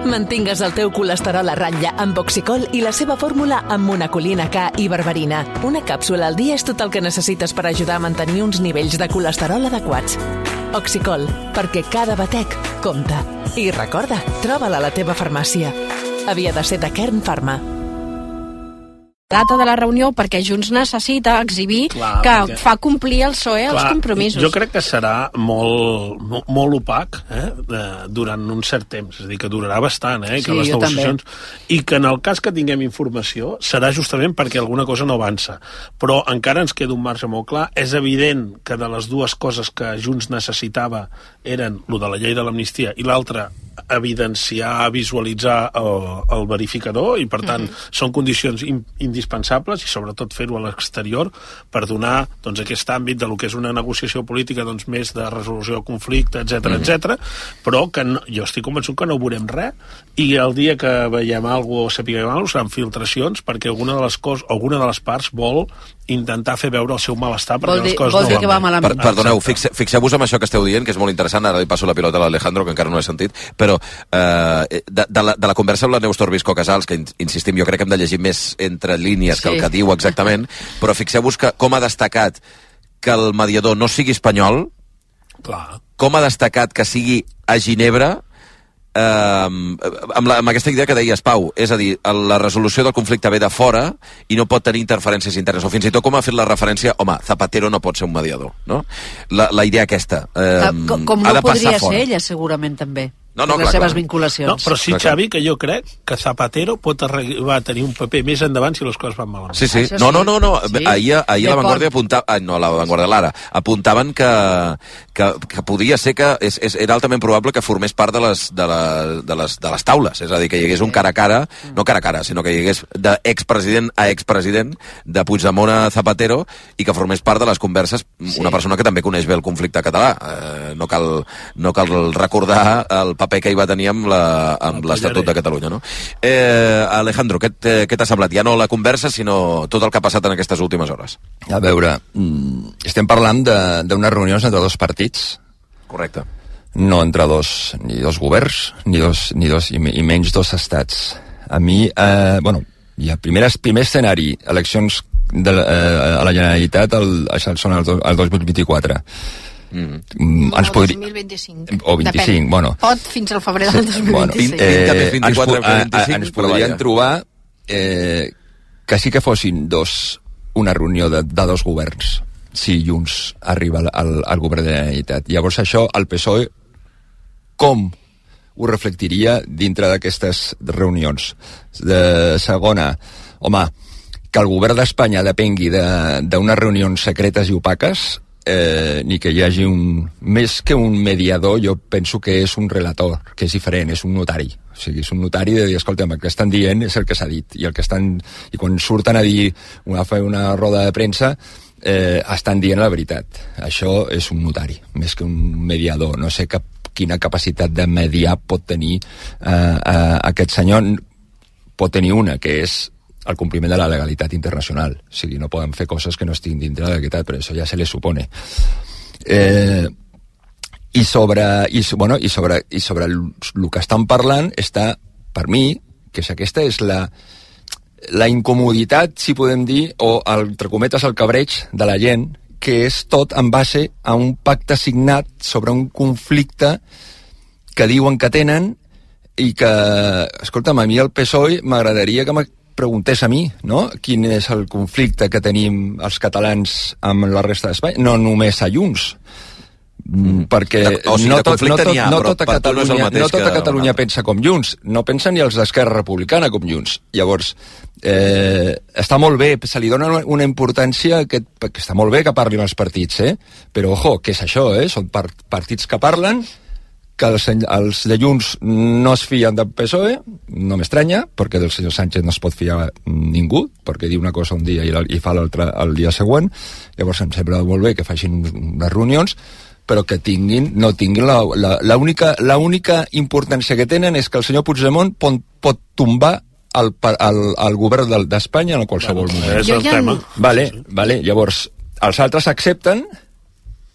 Mantingues el teu colesterol a ratlla amb Oxicol i la seva fórmula amb monacolina K i berberina. Una càpsula al dia és tot el que necessites per ajudar a mantenir uns nivells de colesterol adequats. Oxicol, perquè cada batec compta. I recorda, troba-la a la teva farmàcia. Havia de ser de Kern Pharma. Data de la reunió perquè Junts necessita exhibir perquè fa complir el PSOE els compromisos. Jo crec que serà molt opac durant un cert temps, és a dir, que durarà bastant, que les negociacions, i que en el cas que tinguem informació serà justament perquè alguna cosa no avança. Però encara ens queda un marge molt clar. És evident que de les dues coses que Junts necessitava eren lo de la llei de l'amnistia i l'altra evidenciar, visualitzar el verificador, i per tant són condicions indispensables, i sobretot fer-ho a l'exterior per donar aquest àmbit de lo que és una negociació política més de resolució de conflicte, etc. Però que jo estic convençut que no veurem res, i el dia que veiem alguna cosa o sapiguem alguna cosa seran filtracions, perquè alguna de les parts vol intentar fer veure el seu malestar perquè les coses no van bé. Perdoneu, fixeu-vos en això que esteu dient, que és molt interessant. Ara li passo la pilota a l'Alejandro, que encara no he sentit, però de la conversa amb la Neus Torbisco Casals, que insistim, jo crec que hem de llegir més entre línies que el que diu exactament, però fixeu-vos que com ha destacat que el mediador no sigui espanyol, com ha destacat que sigui a Ginebra, amb aquesta idea que deies, Pau, és a dir, la resolució del conflicte ve de fora i no pot tenir interferències internes, o fins i tot com ha fet la referència, home, Zapatero no pot ser un mediador, no? La idea aquesta com no podria ser ella, segurament, també. Les seves vinculacions. No, però sí, Xavi, que jo crec que Zapatero pot arribar a tenir un paper més endavant si les coses van malament. Sí. No. Ahir La Vanguardia apuntava... No, La Vanguardia, l'Ara. Apuntaven que podia ser que era altament probable que formés part de les taules. És a dir, que hi hagués un cara a cara, no cara a cara, sinó que hi hagués d'expresident a expresident, de Puigdemont a Zapatero, i que formés part de les converses una persona que també coneix bé el conflicte català. No cal recordar el paper que hi va tenir amb l'Estatut de Catalunya, no? Alejandro, què t'ha semblat? Ja no la conversa, sinó tot el que ha passat en aquestes últimes hores. A veure, estem parlant d'unes reunions entre dos partits. Correcte. No entre ni dos governs, i menys dos estats. A mi, primer escenari, eleccions a la Generalitat són el 2024. Ens podria... 2025. O 25, bueno. Pot fins al febrer del 2026. Ens podrien trobar que sí que fossin una reunió de dos governs, si Junts arriba al govern de la Generalitat. Llavors això, el PSOE, com ho reflectiria dintre d'aquestes reunions? Segona, home, que el govern d'Espanya depengui d'unes reunions secretes i opaques, ni que hi hagi més que un mediador, jo penso que és un relator, que és diferent, és un notari. O sigui, és un notari de dir, escolta'm, el que estan dient és el que s'ha dit, i quan surten a dir, a fer una roda de premsa, estan dient la veritat. Això és un notari, més que un mediador. No sé quina capacitat de mediar pot tenir aquest senyor. Pot tenir una, que és el compliment de la legalitat internacional. O sigui, no poden fer coses que no estiguin dintre de la legalitat, però això ja se les supone. I sobre el que estan parlant està, per mi, que aquesta és la incomoditat, si podem dir, o, entre cometes, el cabreig de la gent, que és tot en base a un pacte signat sobre un conflicte que diuen que tenen i que, escolta'm, a mi el PSOE m'agradaria que preguntés a mi, no?, quin és el conflicte que tenim els catalans amb la resta d'Espanya, no només a Junts, perquè no tota Catalunya pensa com Junts, no pensa ni els d'Esquerra Republicana com Junts. Llavors, està molt bé, se li dona una importància que està molt bé que parlin els partits, però ojo, què és això, són partits que parlen, que els de Junts no es fien del PSOE, no m'estranya, perquè del senyor Sánchez no es pot fiar ningú, perquè diu una cosa un dia i fa l'altra el dia següent. Llavors em sembla molt bé que facin unes reunions, però que no tinguin l'única importància que tenen és que el senyor Puigdemont pot tombar el govern d'Espanya en qualsevol moment. És el tema. Vale. Llavors, els altres accepten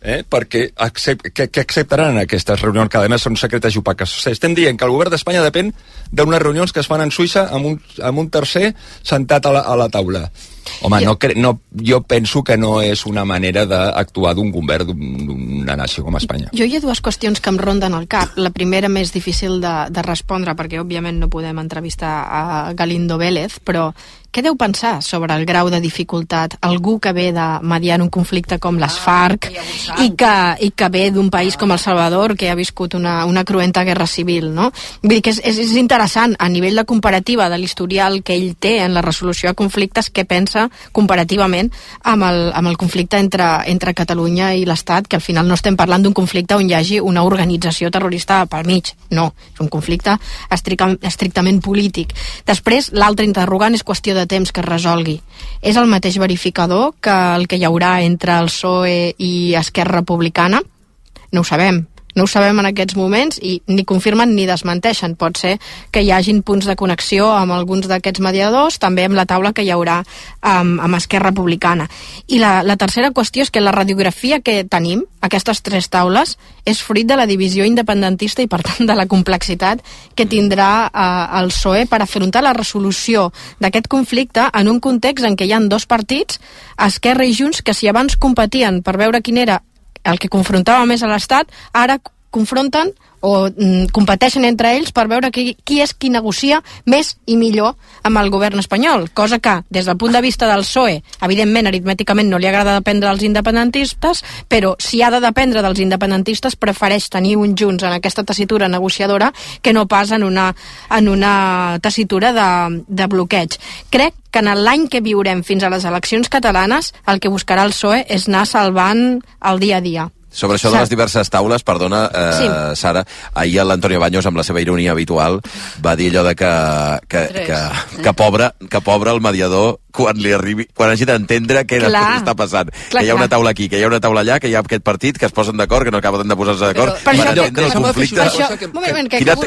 perquè què acceptaran aquestes reunions, que a més són secretes i opaques? Estem dient que el govern d'Espanya depèn d'unes reunions que es fan en Suïssa amb un tercer sentat a la taula. Home, jo penso que no és una manera d'actuar d'un govern d'una nació com Espanya. Jo hi ha dues qüestions que em ronden al cap. La primera més difícil de respondre, perquè òbviament no podem entrevistar a Galindo Vélez, però què deu pensar sobre el grau de dificultat algú que ve de mediar un conflicte com les FARC i que ve d'un país com El Salvador, que ha viscut una cruenta guerra civil, no? Vull dir que és interessant a nivell de comparativa de l'historial que ell té en la resolució de conflictes, què pensa comparativament amb el conflicte entre Catalunya i l'Estat, que al final no estem parlant d'un conflicte on hi hagi una organització terrorista pel mig, no, és un conflicte estrictament polític. Després, l'altre interrogant és qüestió de temps que es resolgui. És el mateix verificador que el que hi haurà entre el PSOE i Esquerra Republicana? No ho sabem. No ho sabem en aquests moments i ni confirmen ni desmenteixen. Pot ser que hi hagin punts de connexió amb alguns d'aquests mediadors, també amb la taula que hi haurà amb Esquerra Republicana. I la tercera qüestió és que la radiografia que tenim, aquestes tres taules, és fruit de la divisió independentista i, per tant, de la complexitat que tindrà el PSOE per afrontar la resolució d'aquest conflicte en un context en què hi ha dos partits, Esquerra i Junts, que si abans competien per veure quin era el que confrontava més a l'Estat, ara confronten o competeixen entre ells per veure qui és qui negocia més i millor amb el govern espanyol, cosa que des del punt de vista del PSOE, evidentment aritmèticament no li agrada dependre dels independentistes, però si ha de dependre dels independentistes prefereix tenir un Junts en aquesta tessitura negociadora que no pas en una tessitura de bloqueig. Crec que en l'any que viurem fins a les eleccions catalanes el que buscarà el PSOE és anar salvant el dia a dia. Sobre això de les diverses taules, perdona, sí. Sara, ahir l'Antonio Baños, amb la seva ironia habitual, va dir allò de que pobre el mediador quan hagi d'entendre què està passant. Que hi ha una taula aquí, que hi ha una taula allà, que hi ha aquest partit, que es posen d'acord, que no acaben de posar-se d'acord, per entendre el conflicte.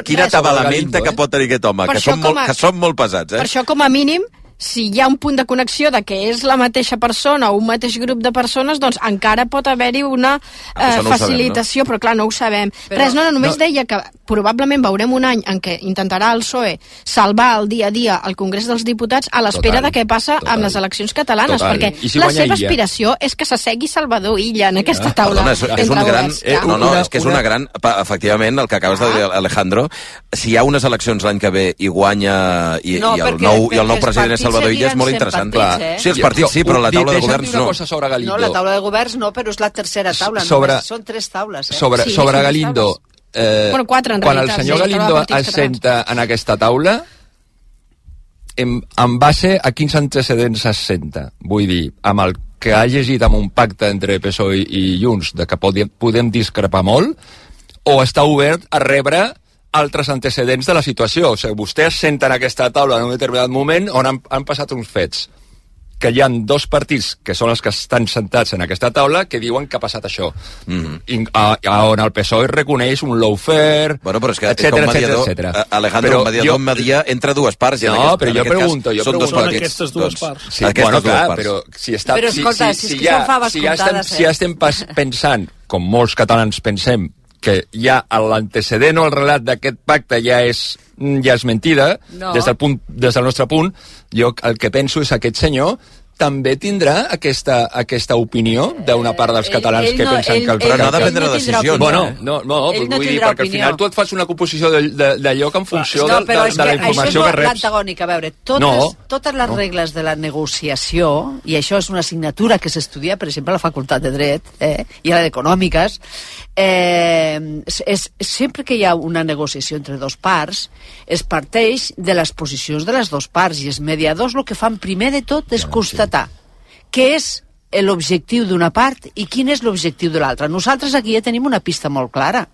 Quina atabalamenta que pot tenir aquest home, que són molt pesats. Per això, com a mínim, si hi ha un punt de connexió de que és la mateixa persona o un mateix grup de persones, doncs encara pot haver-hi una facilitació, però clar, no ho sabem. Només deia que probablement veurem un any en què intentarà el PSOE salvar el dia a dia al Congrés dels Diputats a l'espera de què passa amb les eleccions catalanes, perquè la seva aspiració és que s'assegui Salvador Illa en aquesta taula. És que és una gran... Efectivament, el que acabes de dir, Alejandro, si hi ha unes eleccions l'any que ve i guanya i el nou president és Salvador Illa, és molt interessant. Sí, els partits sí, però la taula de governs no. No, la taula de governs no, però és la tercera taula. Són tres taules. Sobre Galindo, quan el senyor Galindo es senta en aquesta taula, en base a quins antecedents es senta? Vull dir, amb el que ha llegit amb un pacte entre PSOE i Junts, de que podem discrepar molt, o està obert a rebre altres antecedents de la situació. O sigui, vostè es senta en aquesta taula en un determinat moment on han passat uns fets, que hi ha dos partits que són els que estan sentats en aquesta taula que diuen que ha passat això. On el PSOE reconeix un lawfare, però és que etcètera. Alejandro, un mediador media entre dues parts. No, però jo pregunto. Són aquestes dues parts. Sí, bueno, clar, però si ja estem pensant, com molts catalans pensem, que ja l'antecedent o el relat d'aquest pacte ja és mentida, des del nostre punt, jo el que penso és que aquest senyor també tindrà aquesta opinió d'una part dels catalans que pensen que el però no ha de prendre decisions. No, vull dir, perquè al final tu et fas una composició d'allò que en funció de la informació que reps. Això és l'antagònic. A veure, totes les regles de la negociació, i això és una assignatura que s'estudia, per exemple, a la Facultat de Dret i a la d'Econòmiques, sempre que hi ha una negociació entre dos parts, es parteix de les posicions de les dues parts, i els mediadors el que fan primer de tot és constatar què és l'objectiu d'una part i quin és l'objectiu de l'altra. Nosaltres aquí ja tenim una pista molt clara.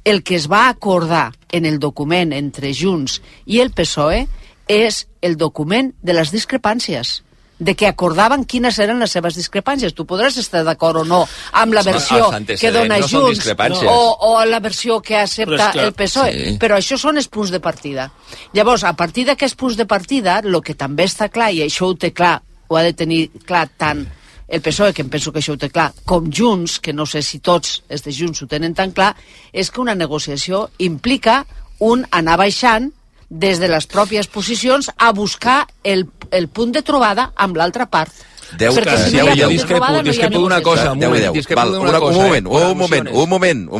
El que es va acordar en el document entre Junts i el PSOE és el document de les discrepàncies, de que acordaven quines eren les seves discrepàncies. Tu podràs estar d'acord o no amb la versió que dona Junts o la versió que accepta el PSOE, però això són els punts de partida. Llavors, a partir d'aquests punts de partida, el que també està clar, i això ho té clar, ho ha de tenir clar tant el PSOE, que em penso que això ho té clar, com Junts, que no sé si tots els de Junts ho tenen tan clar, és que una negociació implica un anar baixant des de les pròpies posicions a buscar el punt de trobada amb l'altra part. Perquè si no hi ha discrepo d'una cosa. Un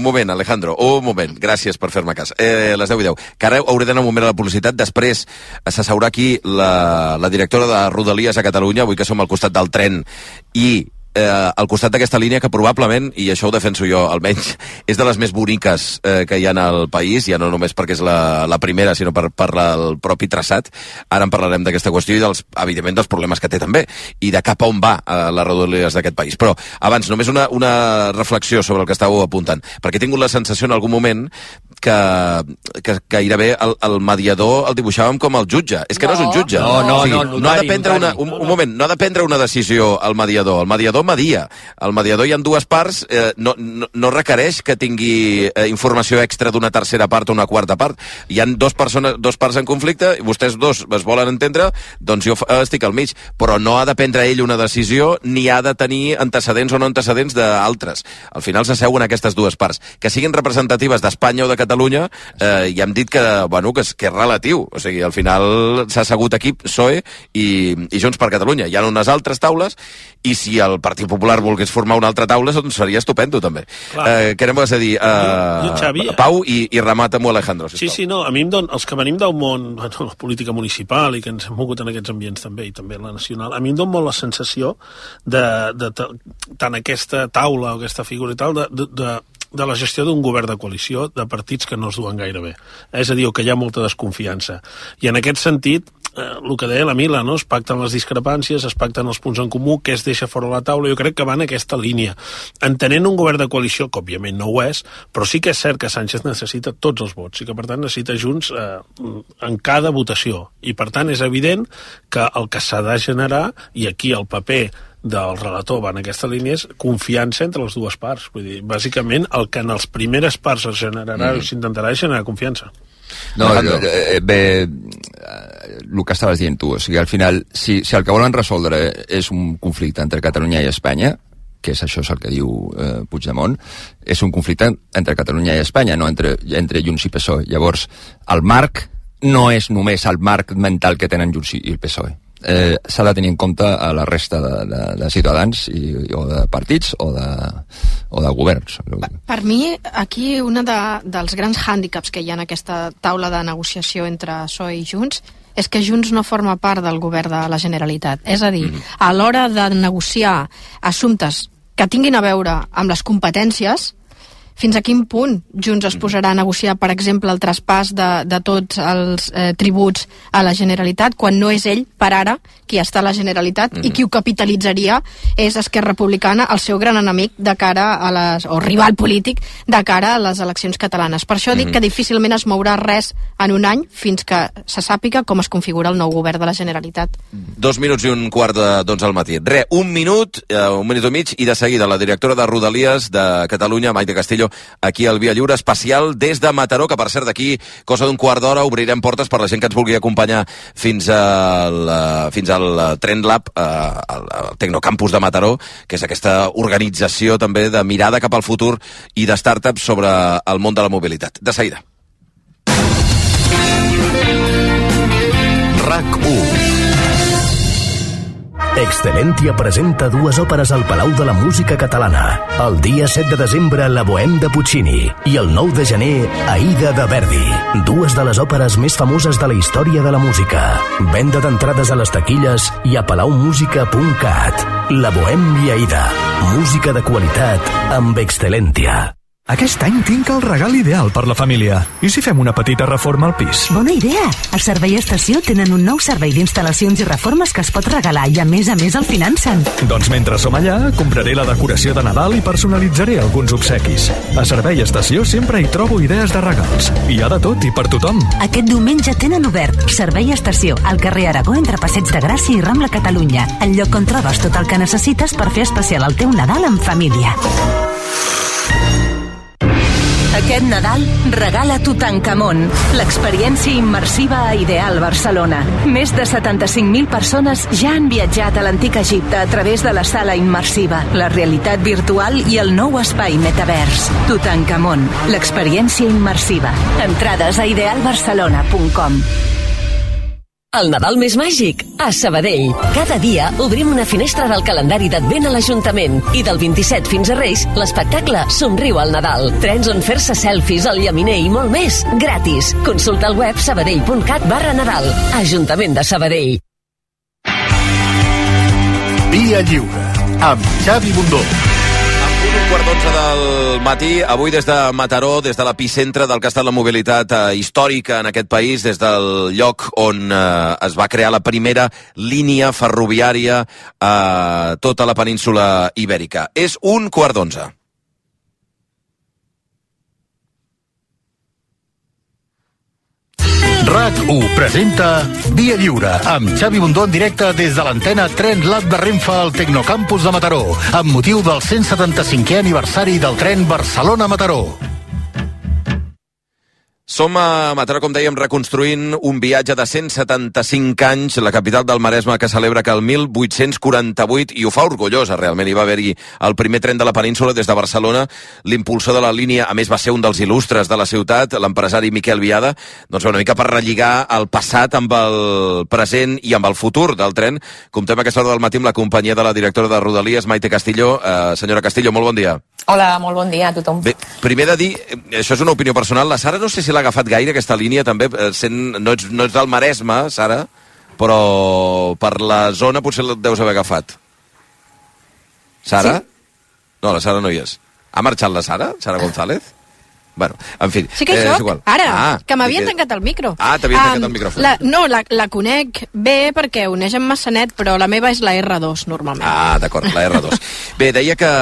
moment, Alejandro, un moment. Gràcies per fer-me cas. Les 10:10. Que ara hauré d'anar un moment a la publicitat. Després s'asseurà aquí la directora de Rodalies a Catalunya, avui que som al costat del tren, i al costat d'aquesta línia que probablement, i això ho defenso jo almenys, és de les més boniques que hi ha al país, ja no només perquè és la primera, sinó per el propi traçat. Ara en parlarem d'aquesta qüestió i evidentment dels problemes que té també, i de cap a on va les Rodalies d'aquest país. Però abans, només una reflexió sobre el que estàveu apuntant, perquè he tingut la sensació en algun moment que gairebé el mediador el dibuixàvem com el jutge. És que no és un jutge. No ha de prendre no ha de prendre una decisió el mediador. El mediador media. El mediador hi ha dues parts, no requereix que tingui informació extra d'una tercera part o una quarta part. Hi ha dos parts en conflicte, i vostès dos es volen entendre, doncs jo estic al mig. Però no ha de prendre ell una decisió, ni ha de tenir antecedents o no antecedents d'altres. Al final s'asseuen aquestes dues parts. Que siguin representatives d'Espanya o de Catalunya, ja hem dit que és relatiu. O sigui, al final s'ha assegut aquí PSOE i Junts per Catalunya. Hi ha unes altres taules, i si el Partit Popular volgués formar una altra taula, doncs seria estupendo, també. Què anem a dir? Pau, i remata amb Alejandro, sisplau. Sí, no, a mi els que venim del món, la política municipal, i que ens hem mogut en aquests ambients també, i també la nacional, a mi em dona molt la sensació de tant aquesta taula o aquesta figura i tal, de la gestió d'un govern de coalició de partits que no es duen gaire bé. És a dir, que hi ha molta desconfiança. I en aquest sentit, el que deia la Mila, no? Es pacten les discrepàncies, es pacten els punts en comú, què es deixa fora la taula. Jo crec que va en aquesta línia. Entenent un govern de coalició, que òbviament no ho és, però sí que és cert que Sánchez necessita tots els vots i que, per tant, necessita Junts en cada votació. I, per tant, és evident que el que s'ha de generar, i aquí el paper del relator va en aquesta línia, és confiança entre les dues parts. Vull dir, bàsicament, el que en les primeres parts es generarà o s'intentarà generar confiança. No, bé, el que estaves dient tu, o sigui, al final, si el que volen resoldre és un conflicte entre Catalunya i Espanya, que és això és el que diu Puigdemont, és un conflicte entre Catalunya i Espanya, no entre Junts i PSOE. Llavors, el marc no és només el marc mental que tenen Junts i el PSOE. S'ha de tenir en compte a la resta de ciutadans o de partits o de governs. Per mi, aquí un dels grans hàndicaps que hi ha en aquesta taula de negociació entre PSOE i Junts és que Junts no forma part del govern de la Generalitat. És a dir, a l'hora de negociar assumptes que tinguin a veure amb les competències, fins a quin punt Junts es posarà a negociar, per exemple, el traspàs de tots els tributs a la Generalitat, quan no és ell, per ara, qui està a la Generalitat, i qui ho capitalitzaria és Esquerra Republicana, el seu gran enemic de cara a o rival polític de cara a les eleccions catalanes. Per això dic que difícilment es mourà res en un any fins que se sàpiga com es configura el nou govern de la Generalitat. 2 minuts i un quart d'11 al matí. Un minut i mig, i de seguida la directora de Rodalies de Catalunya, Maite Castillo, aquí al Via Lliure, especial des de Mataró, que per cert d'aquí, cosa d'un quart d'hora, obrirem portes per la gent que ens vulgui acompanyar fins al Trend Lab, al Tecnocampus de Mataró, que és aquesta organització també de mirada cap al futur i de startups sobre el món de la mobilitat. De seguida. RAC1. Excelentia presenta 2 òperes al Palau de la Música Catalana. El dia 7 de desembre, La Bohème de Puccini, i el 9 de gener, Aida de Verdi. 2 de les òperes més famoses de la història de la música. Venda d'entrades a les taquilles i a palaumusica.cat. La Bohème i Aida. Música de qualitat amb Excelentia. Aquest any tinc el regal ideal per la família. I si fem una petita reforma al pis? Bona idea! Al Servei Estació tenen un nou servei d'instal·lacions i reformes que es pot regalar i a més el financen. Doncs mentre som allà, compraré la decoració de Nadal i personalitzaré alguns obsequis. A Servei Estació sempre hi trobo idees de regals. Hi ha de tot i per tothom. Aquest diumenge tenen obert Servei Estació al carrer Aragó entre Passeig de Gràcia i Rambla Catalunya, el lloc on trobes tot el que necessites per fer especial el teu Nadal en família. Aquest Nadal regala Tutankamon, l'experiència immersiva a Ideal Barcelona. Més de 75.000 persones ja han viatjat a l'antic Egipte a través de la sala immersiva, la realitat virtual i el nou espai metavers. Tutankamon, l'experiència immersiva. Entrades a idealbarcelona.com. El Nadal més màgic, a Sabadell. Cada dia obrim una finestra del calendari d'Advent a l'Ajuntament. I del 27 fins a Reis, l'espectacle Somriu al Nadal. Trens on fer-se selfies al llaminer i molt més. Gratis. Consulta el web sabadell.cat/Nadal. Ajuntament de Sabadell. Via Lliure, amb Xavi Bundó. 11:15 del matí, avui des de Mataró, des de l'epicentre del que ha estat la mobilitat històrica en aquest país, des del lloc on es va crear la primera línia ferroviària a tota la península ibèrica. És 11:15. RAC1 presenta Via Lliure, amb Xavi Bundó en directe des de l'antena Tren Lat de Renfe al Tecnocampus de Mataró, amb motiu del 175è aniversari del tren Barcelona-Mataró. Som a Mataró, com dèiem, reconstruint un viatge de 175 anys, la capital del Maresme, que celebra que el 1848, i ho fa orgullosa, realment, hi va haver-hi el primer tren de la península des de Barcelona, l'impulsor de la línia, a més va ser un dels il·lustres de la ciutat, l'empresari Miquel Viada, doncs una mica per relligar el passat amb el present i amb el futur del tren. Comptem a aquesta hora del matí amb la companyia de la directora de Rodalies, Maite Castillo. Senyora Castillo, molt bon dia. Hola, molt bon dia a tothom. Bé, primer de dir, això és una opinió personal, la Sara no sé si l'ha agafat gaire aquesta línia també, no ets del Maresme, Sara, però per la zona potser la deus haver agafat. Sara? Sí? No, la Sara no hi és. Ha marxat la Sara? Sara González? Bueno, en fi. Sí que hi soc, ara, que m'havien tancat el micro. T'havien tancat el micròfon. La conec bé perquè uneix amb Massanet, però la meva és la R2, normalment. D'acord, la R2. Bé, deia que,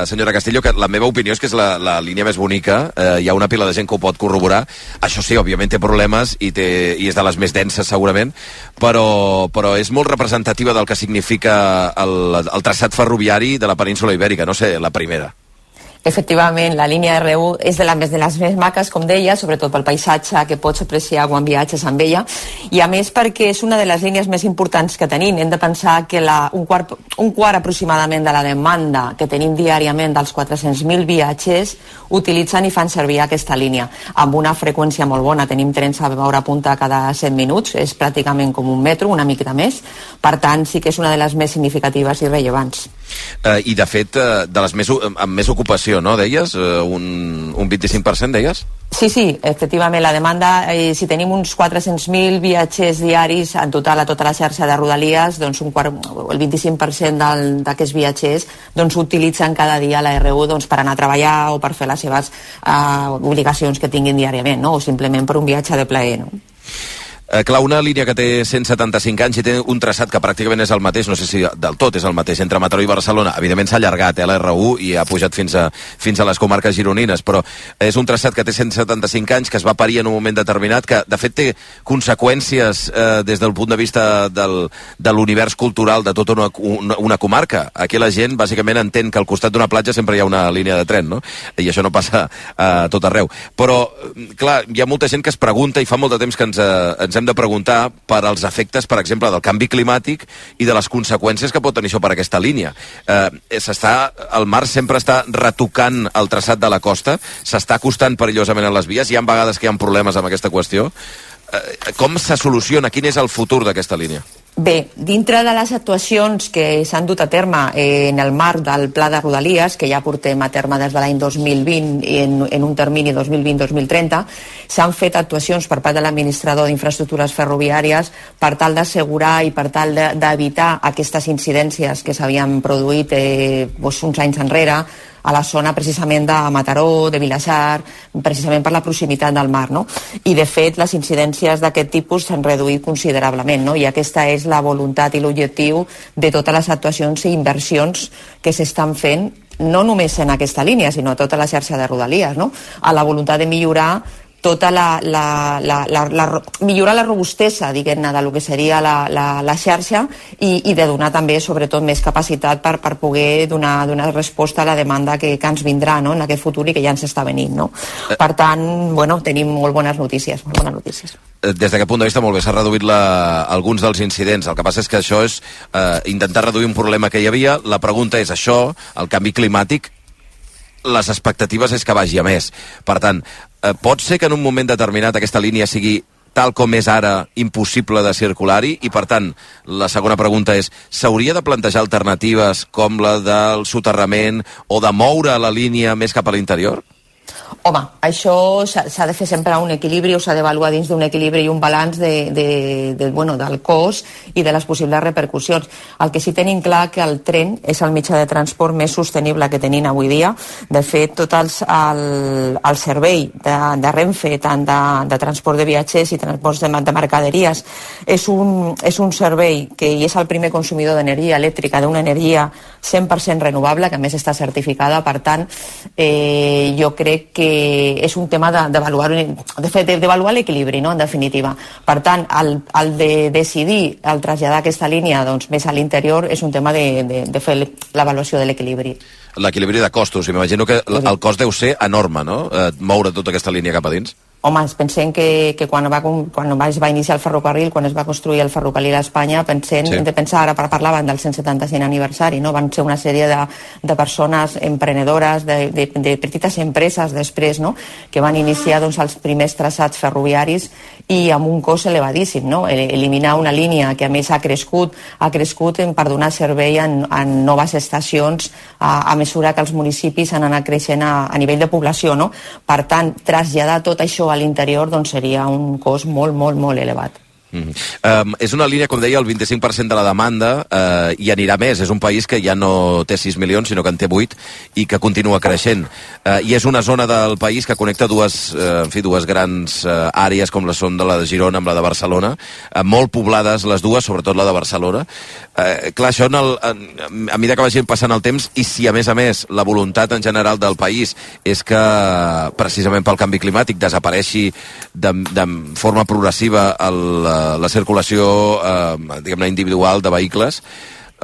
senyora Castillo, que la meva opinió és que és la línia més bonica, hi ha una pila de gent que ho pot corroborar. Això sí, òbviament té problemes i és de les més denses, segurament, però és molt representativa del que significa el traçat ferroviari de la península ibèrica, no sé, la primera. Efectivament, la línia R1 és de les més maques, com deia, sobretot pel paisatge que pots apreciar quan viatges amb ella, i a més perquè és una de les línies més importants que tenim. Hem de pensar que un quart aproximadament de la demanda que tenim diàriament dels 400.000 viatgers utilitzen i fan servir aquesta línia, amb una freqüència molt bona. Tenim trens a hora punta cada 100 minuts, és pràcticament com un metro, una miqueta més. Per tant, sí que és una de les més significatives i rellevants. I, de fet, de les amb més ocupació, no, deies? Un 25%, deies? Sí, efectivament, la demanda, si tenim uns 400.000 viatgers diaris en total a tota la xarxa de Rodalies, doncs el 25% d'aquests viatgers doncs, utilitzen cada dia la R1 per anar a treballar o per fer les seves obligacions que tinguin diàriament, no? O simplement per un viatge de plaer, no? Clar, una línia que té 175 anys i té un traçat que pràcticament és el mateix, no sé si del tot és el mateix, entre Mataró i Barcelona. Evidentment s'ha allargat la R1 i ha pujat fins a les comarques gironines, però és un traçat que té 175 anys, que es va parir en un moment determinat, que de fet té conseqüències des del punt de vista de l'univers cultural de tota una comarca. Aquí la gent bàsicament entén que al costat d'una platja sempre hi ha una línia de tren, no? I això no passa a tot arreu. Però, clar, hi ha molta gent que es pregunta, i fa molt de temps que ens hem de preguntar per als efectes, per exemple, del canvi climàtic i de les conseqüències que pot tenir això per aquesta línia. El mar sempre està retocant el traçat de la costa, s'està acostant perillosament a les vies, hi ha vegades que hi ha problemes amb aquesta qüestió. Com se soluciona? Quin és el futur d'aquesta línia? Bé, dintre de les actuacions que s'han dut a terme en el marc del Pla de Rodalies, que ja portem a terme des de l'any 2020 en un termini 2020-2030, s'han fet actuacions per part de l'administrador d'infraestructures ferroviàries per tal d'assegurar i per tal d'evitar aquestes incidències que s'havien produït uns anys enrere a la zona precisament de Mataró, de Vilassar, precisament per la proximitat del mar, no? I de fet les incidències d'aquest tipus s'han reduït considerablement, no? I aquesta és la voluntat i l'objectiu de totes les actuacions i inversions que s'estan fent no només en aquesta línia, sinó a tota la xarxa de Rodalies, no? A la voluntat de millorar tota millorar la robustesa, diguem-ne, del que seria la xarxa i de donar també, sobretot, més capacitat per poder donar resposta a la demanda que ens vindrà, no?, en aquest futur i que ja ens està venint, no? Per tant, bueno, tenim molt bones notícies. Des d'aquest punt de vista, molt bé, s'ha reduït alguns dels incidents. El que passa és que això és intentar reduir un problema que hi havia. La pregunta és això, el canvi climàtic, les expectatives és que vagi a més. Per tant, pot ser que en un moment determinat aquesta línia sigui tal com és ara impossible de circular-hi i, per tant, la segona pregunta és, s'hauria de plantejar alternatives com la del soterrament o de moure la línia més cap a l'interior? Home, això s'ha de fer sempre un equilibri o s'ha d'avaluar dins d'un equilibri i un balanç del cost i de les possibles repercussions. El que sí tenim clar que el tren és el mitjà de transport més sostenible que tenim avui dia. De fet, tot el servei de Renfe, tant de transport de viatgers i transport de mercaderies, és un servei que és el primer consumidor d'energia elèctrica, d'una energia 100% renovable, que a més està certificada. Per tant, jo crec que és un tema d'avaluar l'equilibri, no?, en definitiva. Per tant, el de decidir el traslladar aquesta línia més a l'interior és un tema de fer l'avaluació de l'equilibri. L'equilibri de costos, i m'imagino que el cost deu ser enorme, no?, moure tota aquesta línia cap a dins. Home, pensem que quan es va iniciar el ferrocarril, quan es va construir el ferrocarril a Espanya, hem de pensar, ara parlaven del 175 aniversari, no? Van ser una sèrie de persones emprenedores, de petites empreses després, no?, que van iniciar els primers traçats ferroviaris i amb un cost elevadíssim, no? Eliminar una línia que a més ha crescut per donar servei en noves estacions a mesura que els municipis han anat creixent a nivell de població, no? Per tant, traslladar tot això a l'interior seria un cost molt, molt, molt elevat. És una línia, com deia, el 25% de la demanda i anirà més. És un país que ja no té 6 milions, sinó que en té 8 i que continua creixent. I és una zona del país que connecta dues grans àrees, com són de la de Girona amb la de Barcelona, molt poblades les dues, sobretot la de Barcelona. Clar, això a mesura que vagi passant el temps i si a més la voluntat en general del país és que precisament pel canvi climàtic desapareixi de forma progressiva la circulació diguem-ne individual de vehicles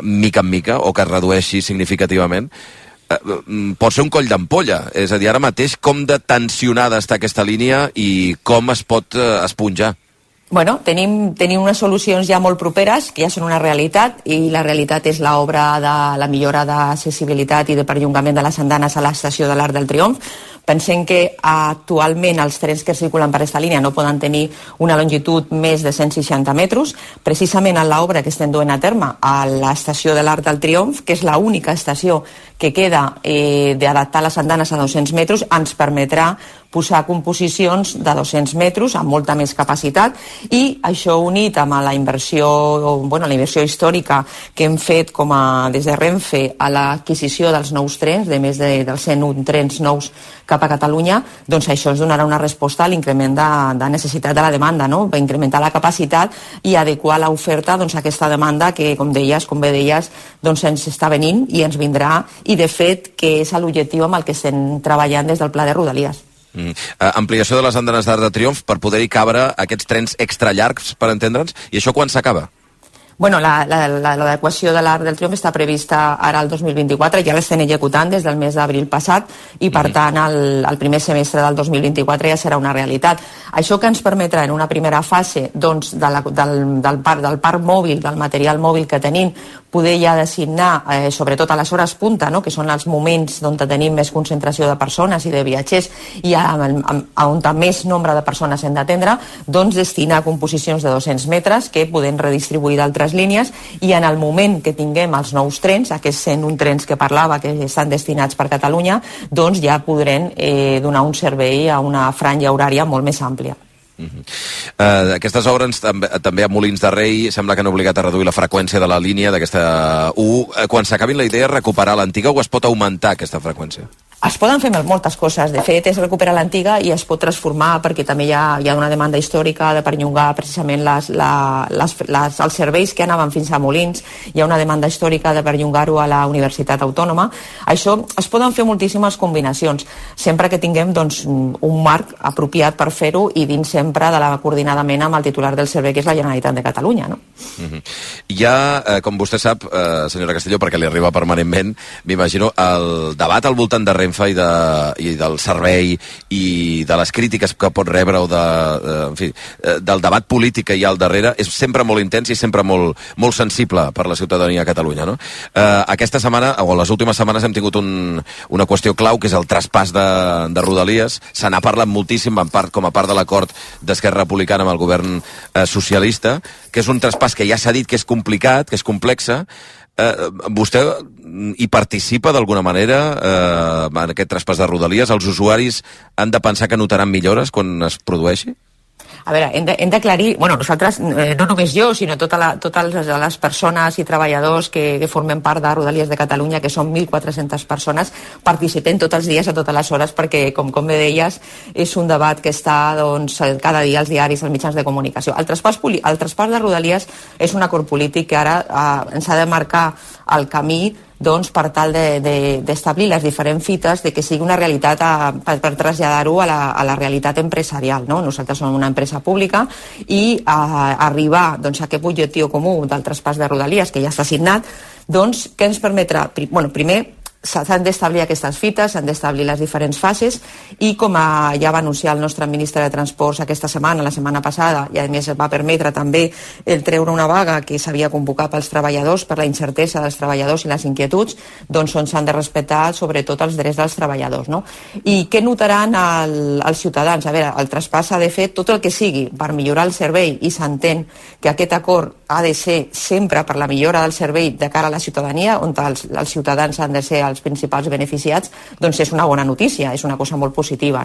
mica en mica o que es redueixi significativament, pot ser un coll d'ampolla. És a dir, ara mateix com de tensionada està aquesta línia i com es pot esponjar? Bueno, tenim unes solucions ja molt properes, que ja són una realitat, i la realitat és l'obra de la millora d'accessibilitat i de perllongament de les andanes a l'estació de l'Arc del Triomf. Pensem que actualment els trens que circulen per aquesta línia no poden tenir una longitud més de 160 metres. Precisament en l'obra que estem duent a terme a l'estació de l'Arc del Triomf, que és l'única estació que queda d'adaptar les andanes a 200 metres, ens permetrà posar composicions de 200 metres amb molta més capacitat, i això unit amb la inversió històrica que hem fet des de Renfe a l'adquisició dels nous trens, de més dels 101 trens nous cap a Catalunya, doncs això ens donarà una resposta a l'increment de necessitat de la demanda, no? Va incrementar la capacitat i adequar l'oferta a aquesta demanda que, com bé deies, ens està venint i ens vindrà, i de fet que és l'objectiu amb el que estem treballant des del Pla de Rodalies. Ampliació de les andanes d'Arc de Triomf per poder-hi cabre aquests trens extra llargs, per entendre'ns, i això quan s'acaba? Bueno, l'adequació de l'Arc del Triomf està prevista ara al 2024, ja l'estem executant des del mes d'abril passat, i per tant el primer semestre del 2024 ja serà una realitat. Això que ens permetrà en una primera fase del parc mòbil, del material mòbil que tenim, poder ja designar, sobretot a les hores punta, no?, que són els moments on tenim més concentració de persones i de viatgers i on més nombre de persones hem d'atendre, doncs destinar composicions de 200 metres que podem redistribuir d'altres línies, i en el moment que tinguem els nous trens, aquests 101 trens que parlava que estan destinats per Catalunya, doncs ja podrem donar un servei a una franja horària molt més àmplia. Aquestes obres també a Molins de Rei sembla que han obligat a reduir la freqüència de la línia d'aquesta U. Quan s'acabin, la idea és recuperar l'antiga o es pot augmentar aquesta freqüència? Es poden fer moltes coses. De fet, és recuperar l'antiga i es pot transformar, perquè també hi ha una demanda històrica de perllongar precisament els serveis que anaven fins a Molins. Hi ha una demanda històrica de perllongar-ho a la Universitat Autònoma. Això es poden fer moltíssimes combinacions, sempre que tinguem un marc apropiat per fer-ho i dins sempre de la coordinadament amb el titular del servei, que és la Generalitat de Catalunya. No? Hi ha, com vostè sap, senyora Castelló, perquè li arriba permanentment, m'imagino, el debat al voltant de Renfe i del servei i de les crítiques que pot rebre o del debat polític que hi ha al darrere és sempre molt intens i sempre molt sensible per la ciutadania a Catalunya, no? Aquesta setmana, o les últimes setmanes, hem tingut una qüestió clau, que és el traspàs de Rodalies. Se n'ha parlat moltíssim com a part de l'acord d'Esquerra Republicana amb el govern socialista, que és un traspàs que ja s'ha dit que és complicat, que és complexa. Vostè hi participa d'alguna manera en aquest traspàs de Rodalies? Els usuaris han de pensar que notaran millores quan es produeixi? A veure, hem d'aclarir, nosaltres, no només jo, sinó totes les persones i treballadors que formen part de Rodalies de Catalunya, que són 1.400 persones, participem tots els dies a totes les hores, perquè, com bé deies, és un debat que està cada dia als diaris, als mitjans de comunicació. El traspàs de Rodalies és un acord polític que ara ens ha de marcar el camí per tal d'establir les diferents fites de que sigui una realitat per traslladar-ho a la realitat empresarial. Nosaltres som una empresa pública i arribar a aquest objectiu comú del traspàs de Rodalies, que ja està signat, què ens permetrà? Primer, s'han d'establir aquestes fites, s'han d'establir les diferents fases i, com ja va anunciar el nostre ministre de Transports aquesta setmana, la setmana passada, i a més va permetre també el treure una vaga que s'havia convocat pels treballadors per la incertesa dels treballadors i les inquietuds, on s'han de respectar sobretot els drets dels treballadors. I què notaran els ciutadans? A veure, el traspàs ha de fer tot el que sigui per millorar el servei, i s'entén que aquest acord ha de ser sempre per la millora del servei de cara a la ciutadania, on els ciutadans han de ser els principals beneficiats, és una bona notícia, és una cosa molt positiva.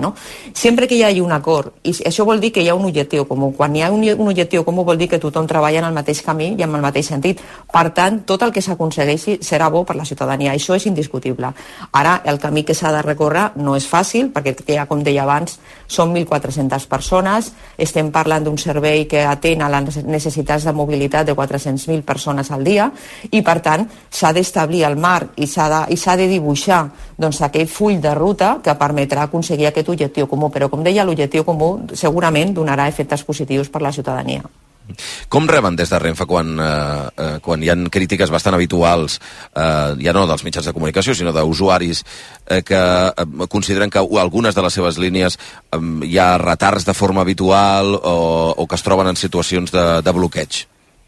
Sempre que hi hagi un acord, i això vol dir que hi ha un objectiu comú. Quan hi ha un objectiu comú vol dir que tothom treballa en el mateix camí i en el mateix sentit. Per tant, tot el que s'aconsegueixi serà bo per la ciutadania. Això és indiscutible. Ara, el camí que s'ha de recórrer no és fàcil, perquè, com deia abans, són 1.400 persones, estem parlant d'un servei que atén a les necessitats de mobilitat de 400.000 persones al dia, i per tant s'ha d'establir el marc i s'ha de dibuixar aquell full de ruta que permetrà aconseguir aquest objectiu comú. Però, com deia, l'objectiu comú segurament donarà efectes positius per la ciutadania. Com reben des de Renfe quan hi ha crítiques bastant habituals, ja no dels mitjans de comunicació, sinó d'usuaris que consideren que algunes de les seves línies hi ha retards de forma habitual o que es troben en situacions de bloqueig?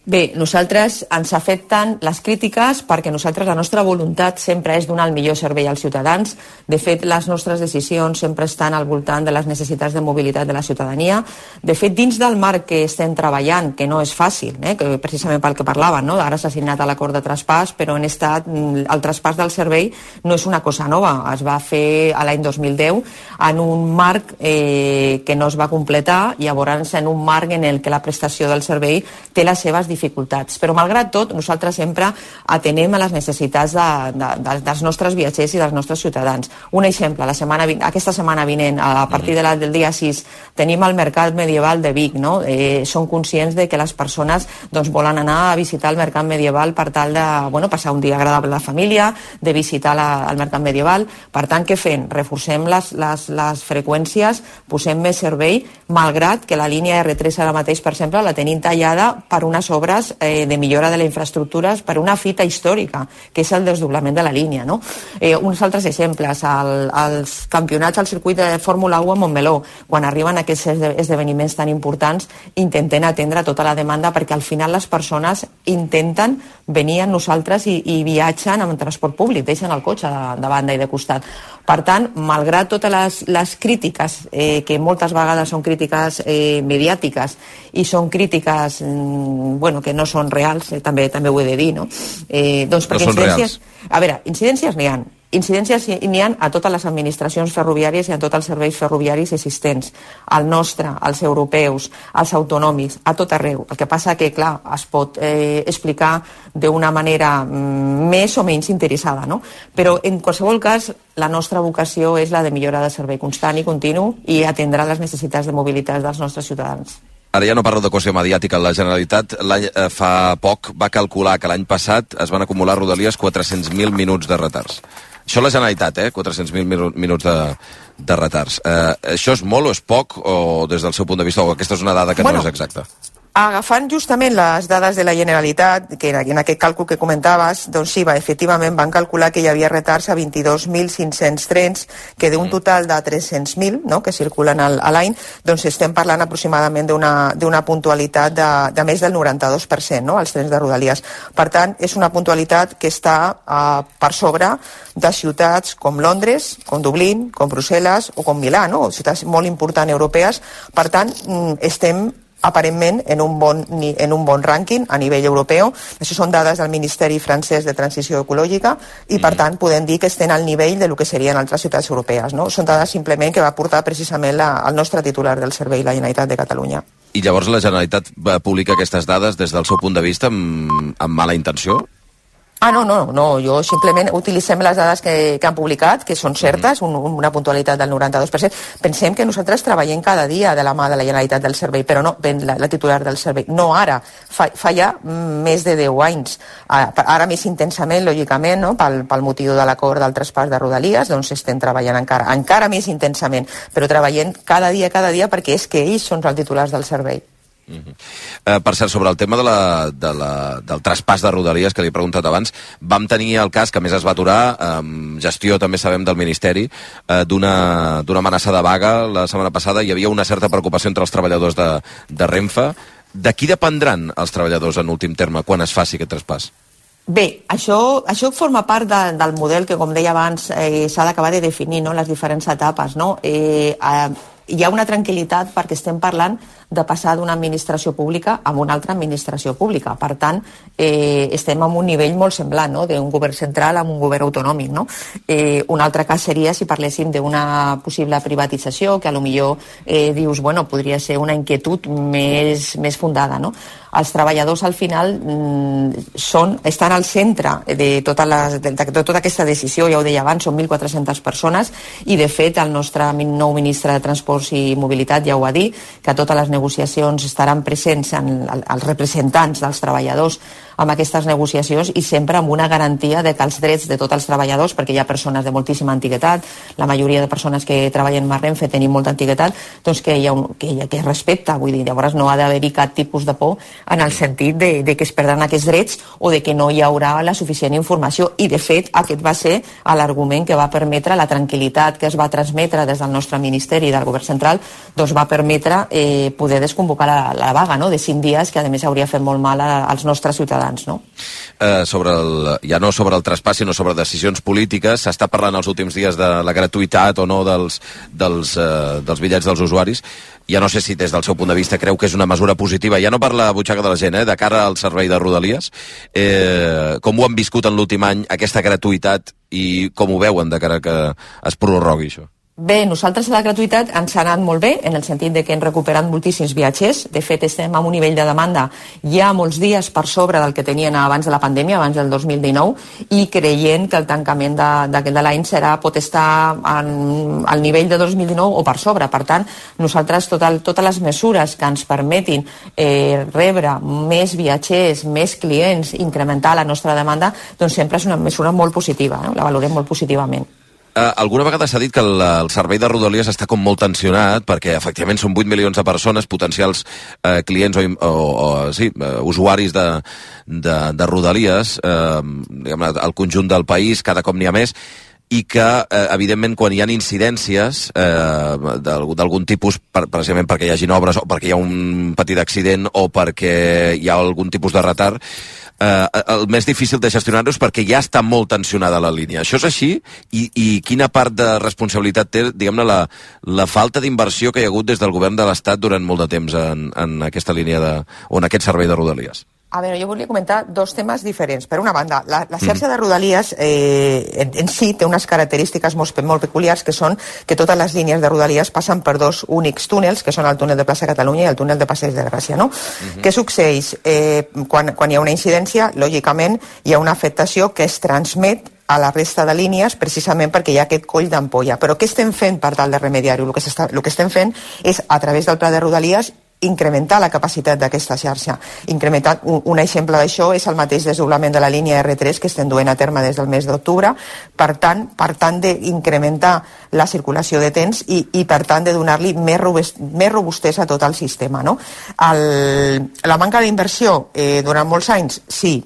Bé, nosaltres ens afecten les crítiques perquè la nostra voluntat sempre és donar el millor servei als ciutadans. De fet, les nostres decisions sempre estan al voltant de les necessitats de mobilitat de la ciutadania. De fet, dins del marc que estem treballant, que no és fàcil, que precisament pel que parlaven, ara s'ha signat l'acord de traspàs, però el traspàs del servei no és una cosa nova. Es va fer l'any 2010 en un marc que no es va completar, llavors en un marc en el que la prestació del servei té les seves dificultats. Però, malgrat tot, nosaltres sempre atenem a les necessitats dels nostres viatgers i dels nostres ciutadans. Un exemple, aquesta setmana vinent, a partir del dia 6, tenim el Mercat Medieval de Vic. Són conscients de que les persones volen anar a visitar el Mercat Medieval per tal de passar un dia agradable a la família, de visitar el Mercat Medieval. Per tant, què fem? Reforcem les freqüències, posem més servei, malgrat que la línia R3 ara mateix, per exemple, la tenim tallada per unes obres de millora de les infraestructures per una fita històrica, que és el desdoblament de la línia. Uns altres exemples, els campionats al circuit de Fórmula 1 a Montmeló, quan arriben aquests esdeveniments tan importants, intenten atendre tota la demanda, perquè al final les persones intenten venir amb nosaltres i viatgen amb transport públic, deixen el cotxe de banda i de costat. Per tant, malgrat totes les crítiques, que moltes vegades són crítiques mediàtiques i són crítiques que no són reals, també ho he de dir, perquè no són reals. A veure, incidències n'hi ha. incidències n'hi ha a totes les administracions ferroviàries i a tots els serveis ferroviaris existents, el nostre, els europeus, els autonòmics, a tot arreu. El que passa que, clar, es pot explicar d'una manera més o menys interessada, no? Però, en qualsevol cas, la nostra vocació és la de millora de servei constant i continu i atendrà les necessitats de mobilitat dels nostres ciutadans. Ara ja no parlo de qüestió mediàtica. La Generalitat fa poc va calcular que l'any passat es van acumular a Rodalies 400.000 minuts de retards. Això la Generalitat, 400.000 minuts de retards. Això és molt o és poc, o des del seu punt de vista, o aquesta és una dada que no és exacta? Agafant justament les dades de la Generalitat, que en aquest càlcul que comentaves, doncs sí, efectivament van calcular que hi havia retards a 22.500 trens, que d'un total de 300.000, no?, que circulen a l'any, doncs estem parlant aproximadament d'una puntualitat de més del 92%, no?, als trens de Rodalies. Per tant, és una puntualitat que està per sobre de ciutats com Londres, com Dublín, com Brussel·les o com Milà, no?, ciutats molt importants europees. Per tant, estem aparentment en un bon rànquing a nivell europeu. Això són dades del Ministeri francès de Transició Ecològica i, per tant, podem dir que estem al nivell del que serien altres ciutats europees, no? Són dades simplement que va portar precisament el nostre titular del servei, la Generalitat de Catalunya. I llavors la Generalitat publica aquestes dades des del seu punt de vista amb mala intenció? No, jo simplement utilitzem les dades que han publicat, que són certes, una puntualitat del 92%. Pensem que nosaltres treballem cada dia de la mà de la Generalitat del servei, però no, la titular del servei, no ara, fa ja més de 10 anys. Ara més intensament, lògicament, no? Pel motiu de l'acord del traspàs de Rodalies, doncs estem treballant encara més intensament, però treballem cada dia perquè és que ells són els titulars del servei. Per cert, sobre el tema del traspàs de Rodalies, que li he preguntat abans, vam tenir el cas, que a més es va aturar, gestió també sabem del Ministeri, d'una amenaça de vaga la setmana passada. Hi havia una certa preocupació entre els treballadors de Renfe. De qui dependran els treballadors en últim terme quan es faci aquest traspàs? Bé, això forma part del model que, com deia abans, s'ha d'acabar de definir, no?, les diferents etapes, no? Hi ha una tranquil·litat perquè estem parlant de passar d'una administració pública a una altra administració pública. Per tant, estem en un nivell molt semblant, no?, d'un govern central a un govern autonòmic, no? Un altre cas seria si parléssim d'una possible privatització, que potser dius, bueno, podria ser una inquietud més fundada, no? Els treballadors al final estan al centre de tota aquesta decisió, ja ho deia abans, són 1.400 persones i de fet el nostre nou ministre de Transports i Mobilitat ja ho va dir, que a totes les negociacions estaran presents els representants dels treballadors amb aquestes negociacions i sempre amb una garantia de que els drets de tots els treballadors, perquè hi ha persones de moltíssima antiguitat, la majoria de persones que treballen a Renfe tenim molta antiguitat, doncs que es respecta, vull dir, llavors no ha d'haver-hi cap tipus de por en el sentit de que es perdran aquests drets o de que no hi haurà la suficient informació, i de fet aquest va ser l'argument que va permetre la tranquil·litat que es va transmetre des del nostre Ministeri i del Govern Central, doncs va permetre poder desconvocar la vaga, no?, de 5 dies, que a més hauria fet molt mal als nostres ciutadans. No? Ja no sobre el traspàs, sinó sobre decisions polítiques. S'està parlant els últims dies de la gratuïtat o no dels bitllets dels usuaris. Ja no sé si des del seu punt de vista creu que és una mesura positiva, ja no per la butxaca de la gent, de cara al servei de Rodalies. Com ho han viscut en l'últim any, aquesta gratuïtat, i com ho veuen de cara que es prorrogui això? Bé, nosaltres a la gratuïtat ens ha anat molt bé, en el sentit de que hem recuperat moltíssims viatgers. De fet, estem en un nivell de demanda ja molts dies per sobre del que tenien abans de la pandèmia, abans del 2019, i creient que el tancament de l'any pot estar al nivell de 2019 o per sobre. Per tant, nosaltres totes les mesures que ens permetin rebre més viatgers, més clients, incrementar la nostra demanda, doncs sempre és una mesura molt positiva, la valorem molt positivament. Alguna vegada s'ha dit que el servei de Rodalies està com molt tensionat perquè efectivament són 8 milions de persones, potencials clients o usuaris de Rodalies, al conjunt del país, cada cop n'hi ha més, i que, evidentment, quan hi ha incidències d'algun tipus, precisament perquè hi hagin obres o perquè hi ha un petit accident o perquè hi ha algun tipus de retard, el més difícil de gestionar-ho és perquè ja està molt tensionada la línia. Això és així? I quina part de responsabilitat té, diguem-ne, la falta d'inversió que hi ha hagut des del govern de l'Estat durant molt de temps en aquesta línia o en aquest servei de Rodalies? A veure, jo volia comentar dos temes diferents. Per una banda, la xarxa de Rodalies en si té unes característiques molt peculiars, que són que totes les línies de Rodalies passen per dos únics túnels, que són el túnel de Plaça Catalunya i el túnel de Passeig de Gràcia, no? Què succeeix? Quan hi ha una incidència, lògicament, hi ha una afectació que es transmet a la resta de línies precisament perquè hi ha aquest coll d'ampolla. Però què estem fent per tal de remediar-ho? El que estem fent és, a través del pla de Rodalies, incrementar la capacitat d'aquesta xarxa. Un exemple d'això és el mateix desdoblament de la línia R3 que estem duent a terme des del mes d'octubre, per tant d'incrementar la circulació de trens i per tant de donar-li més robustesa a tot el sistema. No? La manca d'inversió durant molts anys, sí,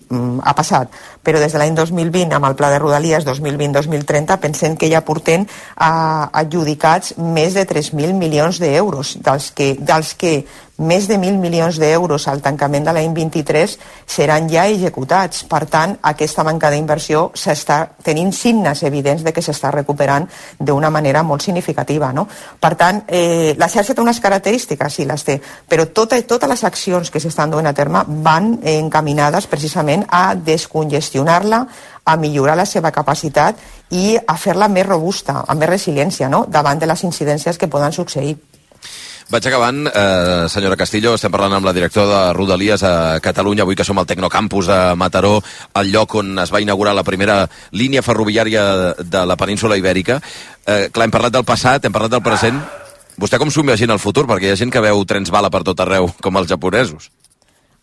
ha passat, però des de l'any 2020, amb el pla de Rodalies 2020-2030, pensem que ja portem adjudicats més de 3.000 milions d'euros, dels que més de 1.000 milions d'euros al tancament de l'any 23 seran ja executats. Per tant, aquesta manca d'inversió s'està tenint signes evidents de que s'està recuperant d'una manera molt significativa. No? Per tant, la xarxa té unes característiques, sí, les té, però totes les accions que s'estan duent a terme van encaminades precisament a descongestionar-la, a millorar la seva capacitat i a fer-la més robusta, amb més resiliència, no? Davant de les incidències que poden succeir. Vaig acabant, senyora Castillo, estem parlant amb la directora de Rodalies a Catalunya, avui que som al Tecnocampus de Mataró, el lloc on es va inaugurar la primera línia ferroviària de la península Ibèrica. Clar, hem parlat del passat, hem parlat del present. Vostè com s'ho imagina el futur? Perquè hi ha gent que veu trens bala per tot arreu, com els japonesos.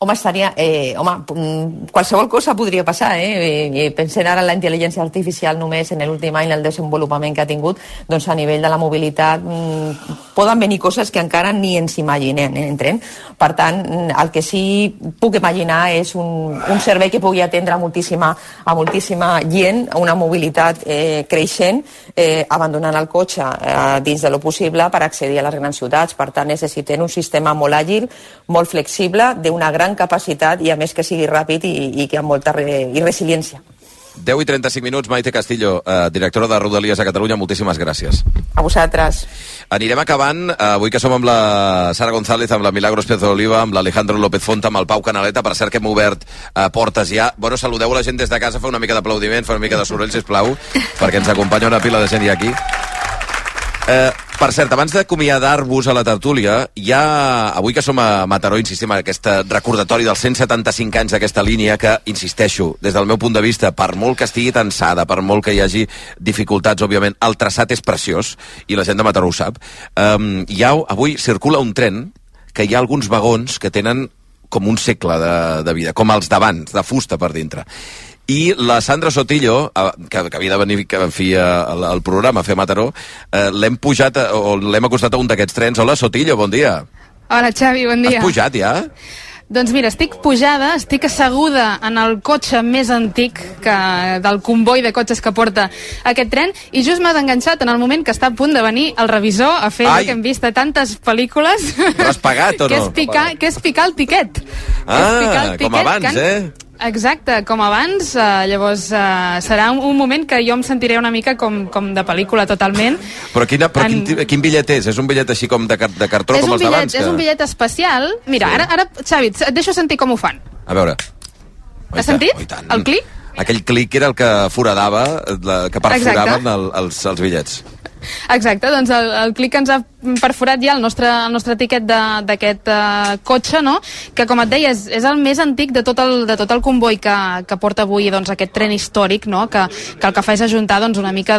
Home, qualsevol cosa podria passar, Pensem ara en la intel·ligència artificial només en l'últim any, el desenvolupament que ha tingut, doncs a nivell de la mobilitat poden venir coses que encara ni ens imaginem, entrem. Per tant, el que sí puc imaginar és un servei que pugui atendre a moltíssima gent, una mobilitat creixent, abandonant el cotxe dins de lo possible per accedir a les grans ciutats. Per tant, necessitem un sistema molt àgil, molt flexible, d'una gran capacitat i a més que sigui ràpid i que amb molta resiliència. 10 i 35 minuts, Maite Castillo, directora de Rodalies a Catalunya, moltíssimes gràcies. A vosaltres. Anirem acabant, avui que som amb la Sara González, amb la Milagros Pérez Oliva, amb l'Alejandro López Fonta, amb el Pau Canaleta, per cert que hem obert portes ja. Bueno, saludeu la gent des de casa, fa una mica d'aplaudiment, fa una mica de soroll, sisplau, perquè ens acompanya una pila de gent ja aquí. Per cert, abans d'acomiadar-vos a la tertúlia, avui que som a Mataró, insistim en aquest recordatori dels 175 anys d'aquesta línia que, insisteixo, des del meu punt de vista, per molt que estigui tensada, per molt que hi hagi dificultats, òbviament, el traçat és preciós, i la gent de Mataró ho sap. Avui circula un tren que hi ha alguns vagons que tenen com un segle de vida, com els d'abans, de fusta per dintre. I la Sandra Sotillo, que havia de venir al programa a fer Mataró, l'hem acostat a un d'aquests trens. Hola, Sotillo, bon dia. Hola, Xavi, bon dia. Has pujat ja? Doncs mira, estic pujada, estic asseguda en el cotxe més antic del comboi de cotxes que porta aquest tren, i just m'has enganxat en el moment que està a punt de venir el revisor a fer el que hem vist a tantes pel·lícules. Però has pagat o no? Que és picar el tiquet. Com abans, Exacte, com abans. Llavors serà un moment que jo em sentiré una mica com de pel·lícula totalment. Però quin bitllet és? És un bitllet així com de cartró com els d'abans? És un bitllet especial. Mira, ara, Xavi, et deixo sentir com ho fan. A veure. Has sentit? El clic? Aquell clic era el que foradava, que perforaven els bitllets. Exacte, doncs el clic ens ha perforat ja el nostre tiquet d'aquest cotxe, no? Que, com et deia, és el més antic de tot el comboi que porta avui aquest tren històric, no? Que el que fa és ajuntar una mica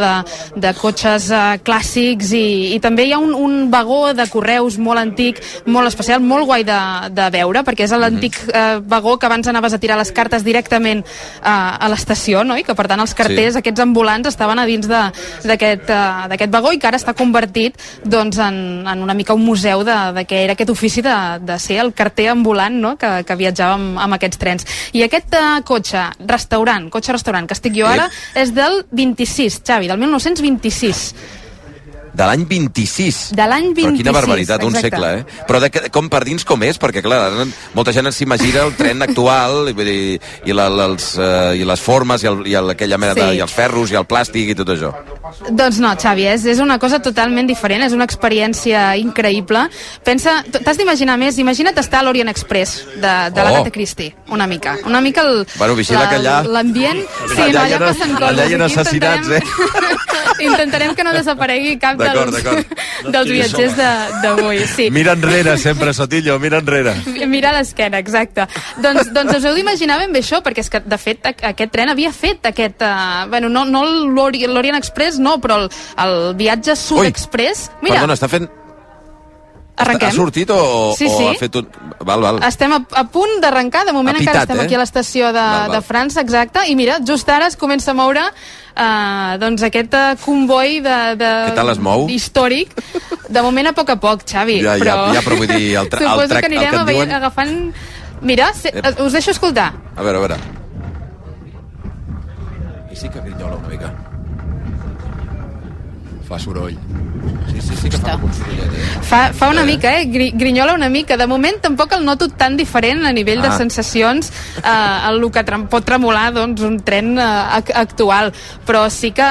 de cotxes clàssics, i també hi ha un vagó de correus molt antic, molt especial, molt guai de veure, perquè és l'antic vagó que abans anaves a tirar les cartes directament a l'estació, no? I que per tant els carters, aquests ambulants, estaven a dins d'aquest vagó, i que ara està convertit en una mica un museu de què era aquest ofici de ser el carter ambulant, no? que viatjava amb aquests trens. I aquest cotxe-restaurant que estic jo ara és del 26, Xavi, del 1926. De l'any 26. De l'any 26, però quina barbaritat, un segle, Però com per dins com és? Perquè, clar, molta gent s'imagina el tren actual i les formes i aquella mena i els ferros i el plàstic i tot això. Doncs no, Xavi, és una cosa totalment diferent, és una experiència increïble. Pensa, t'has d'imaginar més, imagina't estar a l'Orient Express de l'Agatha Christie, una mica Bueno, vigila que allà... L'ambient... Sí, allà passen coses. Allà hi ha assassinats, Intentarem que no desaparegui cap dels viatgers d'avui. Sí. Mira enrere sempre, Sotillo, mira enrere. Mira a l'esquena, exacte. Doncs us heu d'imaginar ben bé això, perquè és que, de fet, aquest tren havia fet aquest... Bueno, no l'Orient Express, no, però el viatge Sud Express... Mira, perdona, està fent... Arrenquem? Ha sortit o ha fet un... Val. Estem a punt d'arrencar, de moment encara estem aquí a l'estació de França, exacte, i mira, just ara es comença a moure doncs aquest comboi Què tal es mou? històric, de moment a poc, Xavi. Però vull dir, el trac suposo que el anirem diuen... agafant... Mira, us deixo escoltar. A veure. I sí que grinyola una mica. Fa soroll. Sí que fa un sorollet, Fa una mica, grinyola una mica. De moment tampoc el noto tan diferent a nivell de sensacions el que pot tremolar doncs, un tren actual, però sí que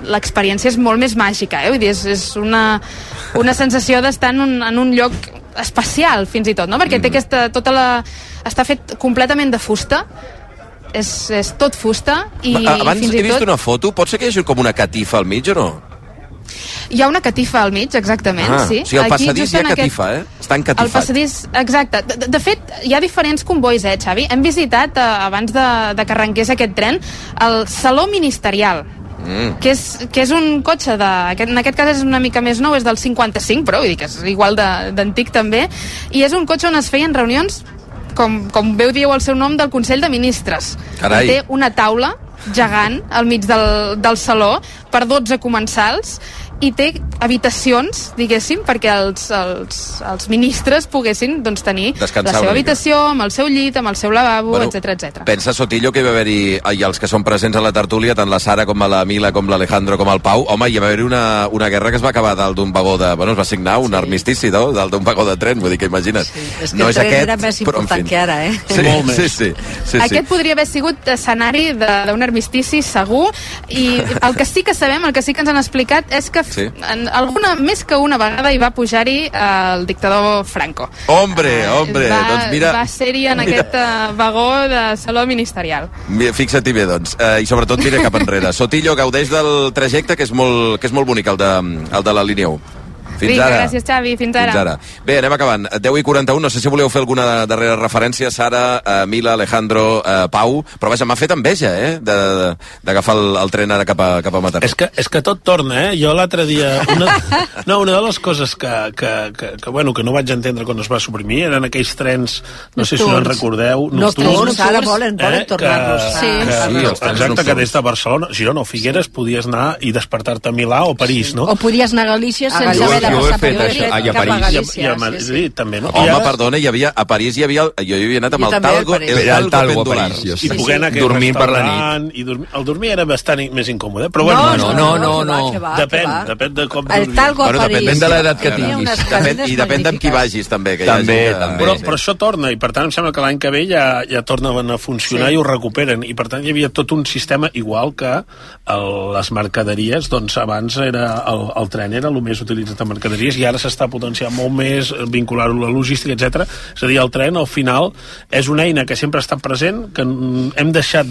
l'experiència és molt més màgica, vull dir, és una sensació d'estar en un lloc especial, fins i tot, no? Perquè té està fet completament de fusta, és tot fusta i abans fins i tot... he vist una foto, pot ser que hi hagi com una catifa al mig o no? Hi ha una catifa al mig, exactament, sí. O sigui, al passadís hi ha catifa, Està encatifat. El passadís, exacte. De fet, hi ha diferents convois, Xavi? Hem visitat, abans de que arrenqués aquest tren, el Saló Ministerial, que és un cotxe en aquest cas és una mica més nou, és del 55, però vull dir que és igual d'antic també, i és un cotxe on es feien reunions, com bé ho diu el seu nom, del Consell de Ministres. Carai. Té una taula gegant al mig del saló per 12 comensals i té habitacions, diguéssim, perquè els ministres poguessin doncs, tenir descansar la seva habitació, amb el seu llit, amb el seu lavabo, etc. Pensa, Sotillo, que hi va haver-hi, i els que són presents a la tertúlia, tant la Sara com la Mila, com l'Alejandro, com el Pau, home, hi va haver-hi una guerra que es va acabar dalt d'un vagó de... Bueno, es va signar un armistici, no?, dalt d'un vagó de tren, vull dir que imagina't. Sí, és que no el tren era més important que ara, Sí, molt més. Sí. Aquest podria haver sigut escenari d'un armistici, segur, i el que sí que sabem, el que sí que ens han explicat, és que més que una vegada hi va pujar-hi el dictador Franco. Hombre, doncs mira... Va ser-hi en aquest vagó de saló ministerial. Fixa-t'hi bé, doncs. I sobretot mira cap enrere. Sotillo, gaudeix del trajecte, que és molt bonic, el de la línia 1. Fins ara. Gràcies, Xavi. Fins ara. Bé, anem acabant. 10:41, no sé si voleu fer alguna darrera referència, Sara, Mila, Alejandro, Pau, però vaja, m'ha fet enveja, d'agafar el tren ara cap a Mataró. És que tot torna, Jo l'altre dia... Una de les coses que no vaig entendre quan es va suprimir eren aquells trens, no sé si no en recordeu, nocturns, ara volen tornar-los. Exacte, que des de Barcelona, Girona o Figueres podies anar i despertar-te a Milà o París, no? O podies anar a Galícia sense haver jo he fet això, i a París. I a Madrid també, no? Home, perdona, a París jo hi havia anat amb el talgo pendular. I poder anar a dormint per la nit. El dormir era bastant més incòmode, però bueno... No. Depèn de com dormir. El talgo a París. Depèn de l'edat que tinguis. I depèn amb qui vagis, també. Però això torna, i per tant em sembla que l'any que ve ja tornen a funcionar i ho recuperen, i per tant hi havia tot un sistema igual que les mercaderies, doncs abans el tren era el més utilitzat en mercaderies i ara s'està potenciant molt més, vincular-ho a la logística, etc. És a dir, el tren al final és una eina que sempre ha estat present, que hem deixat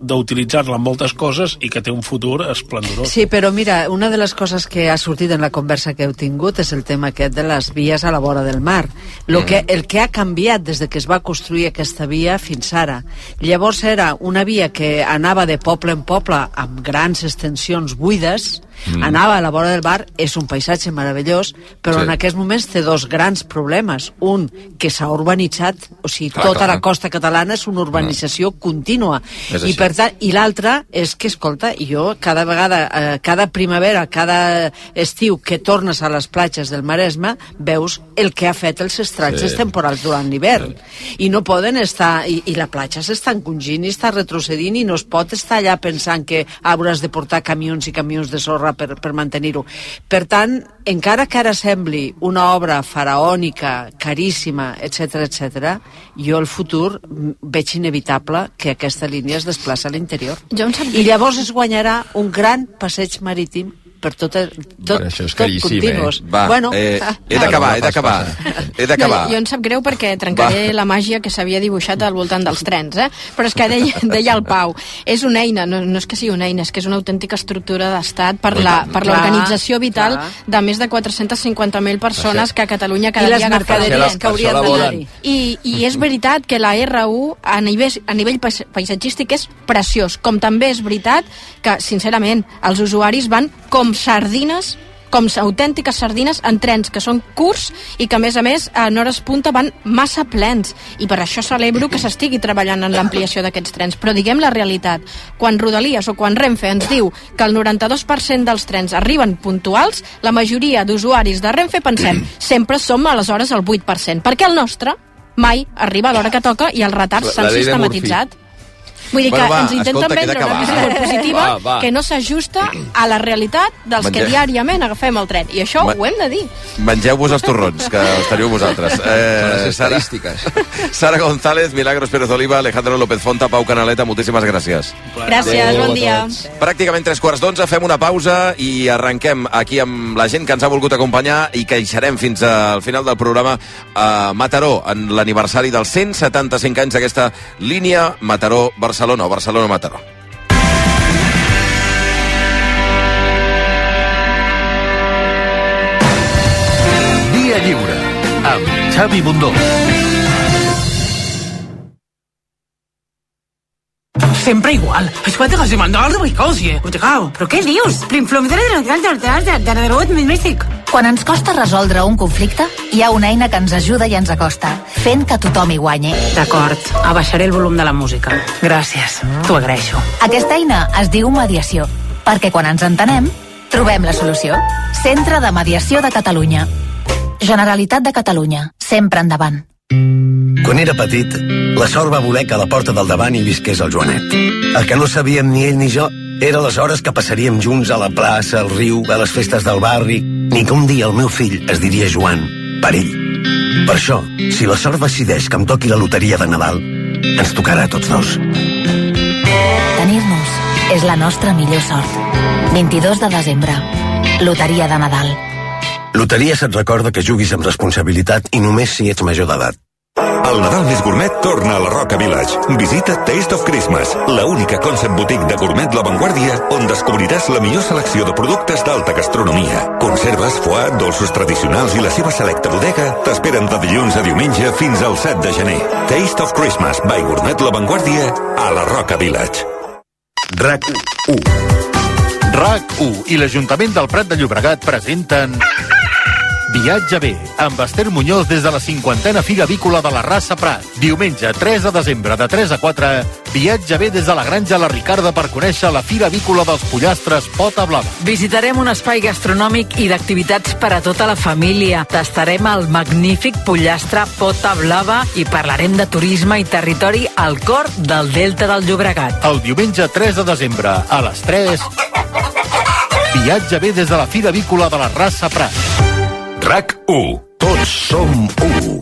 d'utilitzar-la en moltes coses i que té un futur esplendorós. Sí, però mira, una de les coses que ha sortit en la conversa que heu tingut és el tema aquest de les vies a la vora del mar. El que ha canviat des de que es va construir aquesta via fins ara. Llavors era una via que anava de poble en poble amb grans extensions buides, anava a la vora del mar, és un paisatge meravellós, però en aquests moments té dos grans problemes. Un, que s'ha urbanitzat, o sigui, tota la costa catalana és una urbanització contínua. I per tant, i l'altre és que, escolta, jo cada vegada, cada primavera, cada estiu que tornes a les platges del Maresme, veus el que ha fet els estralls temporals durant l'hivern. I no poden estar... I la platja s'està encongint i està retrocedint i no es pot estar allà pensant que hauràs de portar camions i camions de sorra sorra per mantenir-ho. Per tant, encara que ara sembli una obra faraònica, caríssima, etc, jo el futur veig inevitable que aquesta línia es desplaça a l'interior. I llavors es guanyarà un gran passeig marítim per tot continuos. Va, bueno, he d'acabar. Jo em sap greu perquè trencaré la màgia que s'havia dibuixat al voltant dels trens, però és que deia el Pau, és una eina, no és que sigui una eina, és que és una autèntica estructura d'estat per l'organització vital de més de 450.000 persones que a Catalunya cada dia agafen el tren. Que haurien d'anar-hi. I és veritat que la R1 a nivell paisatgístic és preciós, com també és veritat que, sincerament, els usuaris van com sardines, com autèntiques sardines en trens que són curts i que a més en hores punta van massa plens, i per això celebro que s'estigui treballant en l'ampliació d'aquests trens. Però diguem la realitat, quan Rodalies o quan Renfe ens diu que el 92% dels trens arriben puntuals, la majoria d'usuaris de Renfe pensem, sempre som aleshores el 8%, perquè el nostre mai arriba a l'hora que toca i els retards s'han sistematitzat. Vull dir que ens intenten vendre una visió molt positiva que no s'ajusta a la realitat dels que diàriament agafem el tren. I això ho hem de dir. Mengeu-vos els torrons, que els teniu vosaltres. Són les estadístiques. Sara González, Milagros Pérez Oliva, Alejandro López Fonta, Pau Canaleta, moltíssimes gràcies. Gràcies, bon dia. Pràcticament 3:15, fem una pausa i arrenquem aquí amb la gent que ens ha volgut acompanyar i que hi serem fins al final del programa a Mataró, en l'aniversari dels 175 anys d'aquesta línia Mataró-Barcelona o Barcelona-Mataró. Via Lliure, amb Xavi Bundó. Sempre igual. Escolta, que se mandó algo de cosie. Però què dius? Plim-flom de Mèxic. Quan ens costa resoldre un conflicte, hi ha una eina que ens ajuda i ens acosta, fent que tothom hi guanyi. D'acord, abaixaré el volum de la música. Gràcies, t'ho agraeixo. Aquesta eina es diu mediació, perquè quan ens entenem, trobem la solució. Centre de Mediació de Catalunya. Generalitat de Catalunya. Sempre endavant. Quan era petit, la sort va voler que a la porta del davant hi visqués el Joanet. El que no sabíem ni ell ni jo era les hores que passaríem junts a la plaça, al riu, a les festes del barri, ni que un dia el meu fill es diria Joan, per ell. Per això, si la sort decideix que em toqui la loteria de Nadal, ens tocarà a tots dos. Tenir-nos és la nostra millor sort. 22 de desembre. Loteria de Nadal. Loteries et recorda que juguis amb responsabilitat i només si ets major d'edat. El Nadal més gourmet torna a la Roca Village. Visita Taste of Christmas, la única concept boutique de gourmet La Vanguardia on descobriràs la millor selecció de productes d'alta gastronomia. Conserves, foie, dolços tradicionals i la seva selecta bodega t'esperen de dilluns a diumenge fins al 7 de gener. Taste of Christmas by Gourmet La Vanguardia a la Roca Village. RAC1 RAC1 i l'Ajuntament del Prat de Llobregat presenten Viatge bé, amb Esther Muñoz des de la 50a Fira Avícola de la Rasa Prat. Diumenge 3 de desembre de 3 a 4, viatge bé des de la Granja La Ricarda per conèixer la Fira Avícola dels Pollastres Pota Blava. Visitarem un espai gastronòmic i d'activitats per a tota la família. Tastarem el magnífic pollastre Pota Blava i parlarem de turisme i territori al cor del Delta del Llobregat. El diumenge 3 de desembre a les 3, viatge bé des de la Fira Avícola de la Rasa Prat. RAC1. Tots som u.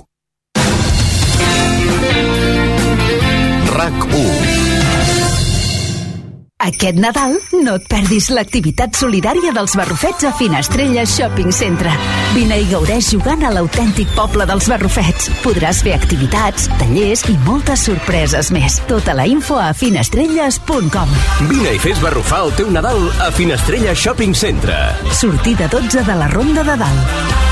RAC1. Aquest Nadal no et perdis l'activitat solidària dels Barrufets a Finestrella Shopping Centre. Vine i gaudeix jugant a l'autèntic poble dels Barrufets. Podràs fer activitats, tallers i moltes sorpreses més. Tota la info a finestrelles.com. Vine i fes barrufar el teu Nadal a Finestrella Shopping Centre. Sortida 12 de la Ronda de Dalt.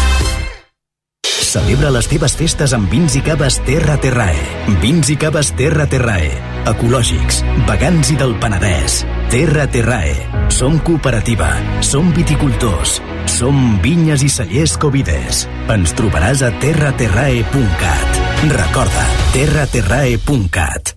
Celebra les teves festes amb vins i caves Terra Terrae. Vins i caves Terra Terrae. Ecològics, vegans i del Penedès. Terra Terrae. Som cooperativa, som viticultors, som vinyes i cellers Covides. Ens trobaràs a terraterrae.cat. Recorda, terraterrae.cat.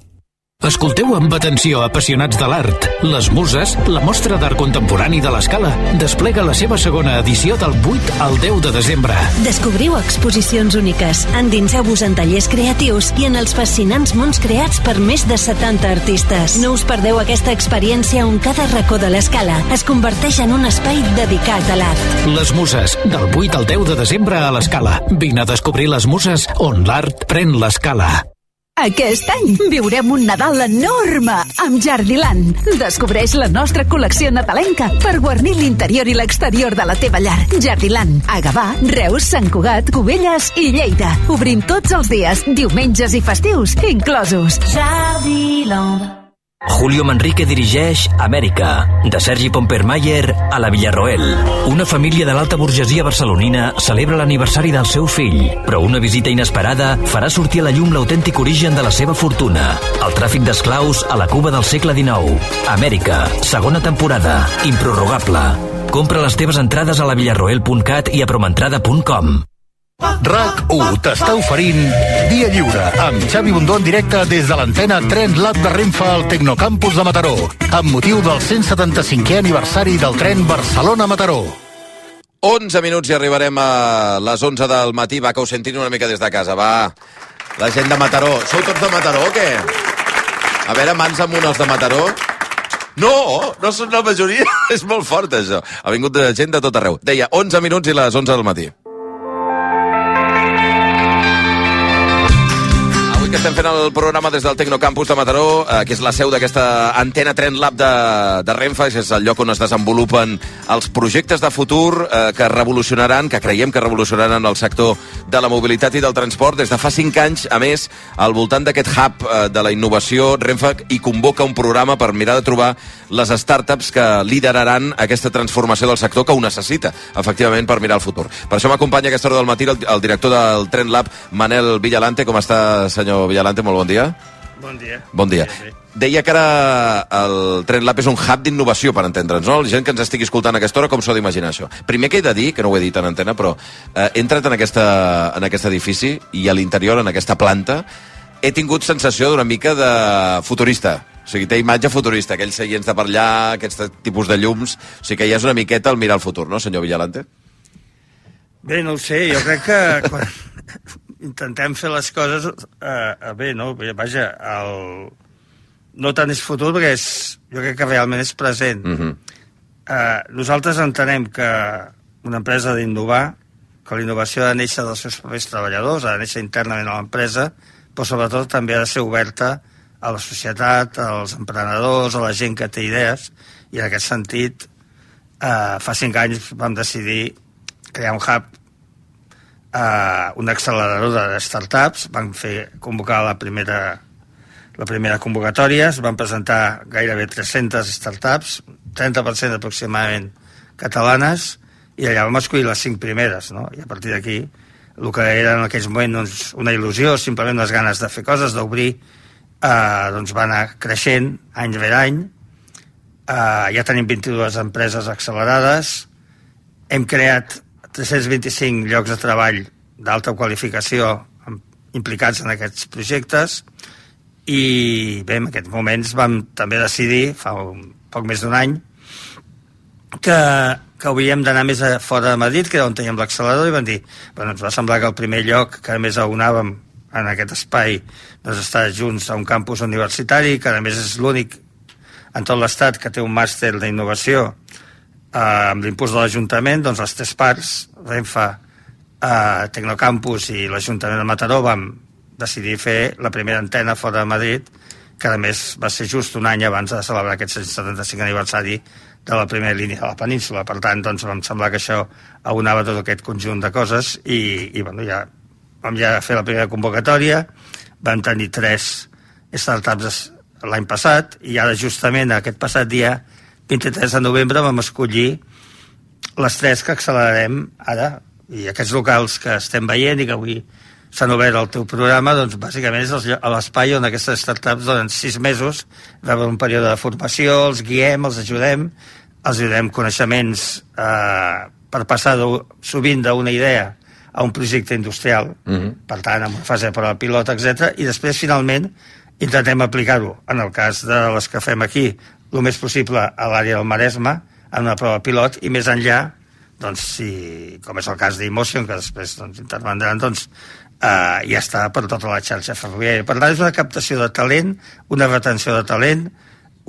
Escolteu amb atenció, apassionats de l'art. Les Muses, la mostra d'art contemporani de l'Escala, desplega la seva segona edició del 8 al 10 de desembre. Descobriu exposicions úniques, endinseu-vos en tallers creatius i en els fascinants mons creats per més de 70 artistes. No us perdeu aquesta experiència on cada racó de l'Escala es converteix en un espai dedicat a l'art. Les Muses, del 8 al 10 de desembre a l'Escala. Vine a descobrir les Muses on l'art pren l'escala. Aquest any viurem un Nadal enorme amb Jardiland. Descobreix la nostra col·lecció nadalenca per guarnir l'interior i l'exterior de la teva llar. Jardiland, a Gavà, Reus, Sant Cugat, Cubelles i Lleida. Obrim tots els dies, diumenges i festius, inclosos. Jardiland. Julio Manrique dirigeix Amèrica, de Sergi Pompermayer a la Villarroel. Una família de l'alta burgesia barcelonina celebra l'aniversari del seu fill, però una visita inesperada farà sortir a la llum l'autèntic origen de la seva fortuna, el tràfic d'esclaus a la Cuba del segle XIX. Amèrica, segona temporada, improrrogable. Compra les teves entrades a lavillarroel.cat i a promentrada.com. RAC1 t'està oferint Dia Lliure amb Xavi Bundó en directe des de l'antena Tren Lab de Renfe al Tecnocampus de Mataró amb motiu del 175è aniversari del tren Barcelona-Mataró. 11 minuts i arribarem a les 11 del matí. Va, que us sentin una mica des de casa, va. La gent de Mataró. Sou tots de Mataró o què? A veure, mans amunt els de Mataró. No són la majoria. És molt fort, això. Ha vingut gent de tot arreu. Deia, 11 minuts i les 11 del matí. Que estem fent el programa des del Tecnocampus de Mataró, que és la seu d'aquesta antena Tren Lab de Renfe, que és el lloc on es desenvolupen els projectes de futur que revolucionaran, que creiem que revolucionaran el sector de la mobilitat i del transport. Des de fa 5 anys, a més, al voltant d'aquest hub de la innovació, Renfe hi convoca un programa per mirar de trobar les startups que lideraran aquesta transformació del sector que ho necessita, efectivament, per mirar el futur. Per això m'acompanya a aquesta hora del matí el director del Tren Lab, Manel Villalante. Com està, senyor Villalante? Molt bon dia. Bon dia. Bon dia. Deia que ara el Tren Lab és un hub d'innovació, per entendre'ns, no? La gent que ens estigui escoltant a aquesta hora, com s'ho ha d'imaginar, això? Primer que he de dir, que no ho he dit en antena, però he entrat en aquest edifici i a l'interior, en aquesta planta, he tingut sensació d'una mica de futurista. O sigui, té imatge futurista, aquells seients de per allà, aquests tipus de llums. O sigui que ja és una miqueta el mirar el futur, no, senyor Villalante? Bé, no ho sé, jo crec que quan intentem fer les coses bé, no? Vaja, no tant és futur, perquè jo crec que realment és present. Nosaltres entenem que una empresa ha d'innovar, que la innovació ha de néixer dels seus propis treballadors, ha de néixer internament a l'empresa, però sobretot també ha de ser oberta a la societat, als emprenedors, a la gent que té idees, i en aquest sentit, fa 5 anys vam decidir crear un hub, un accelerador de startups. Vam convocar la primera convocatòria, es van presentar gairebé 300 startups, 30% aproximadament catalanes, i allà vam escollir les 5 primeres, no? I a partir d'aquí, el que era en aquells moments doncs, una il·lusió, simplement les ganes de fer coses, d'obrir, doncs va anar creixent any rere any. Ja tenim 22 empreses accelerades, hem creat 325 llocs de treball d'alta qualificació implicats en aquests projectes, i bé, en aquests moments vam també decidir, fa poc més d'un any, que hauríem d'anar més fora de Madrid, que era on teníem l'accelerador, i vam dir, bueno, ens va semblar que el primer lloc que a més aunàvem en aquest espai doncs estar junts a un campus universitari, que a més és l'únic en tot l'estat que té un màster d'innovació amb l'impuls de l'Ajuntament. Doncs les 3 parts, Renfe, Tecnocampus i l'Ajuntament de Mataró, vam decidir fer la primera antena fora de Madrid, que a més va ser just un any abans de celebrar aquest 175 aniversari de la primera línia de la península. Per tant, doncs, vam semblar que això aunava tot aquest conjunt de coses i bueno, ja vam fer la primera convocatòria, vam tenir 3 startups l'any passat, i ara justament aquest passat dia 23 de novembre vam escollir les 3 que accelerarem ara, i aquests locals que estem veient i que avui s'han obert al teu programa, doncs bàsicament és l'espai on aquestes startups durant 6 mesos reben un període de formació, els guiem, els ajudem coneixements per passar sovint d'una idea a un projecte industrial, per tant, amb una fase de prova pilot, etc. I després, finalment, intentem aplicar-ho, en el cas de les que fem aquí, el més possible a l'àrea del Maresme, en una prova pilot, i més enllà, doncs, com és el cas d'Emotion, que després intervendran, doncs, ja està per tota la xarxa ferroviària. Per tant, és una captació de talent, una retenció de talent,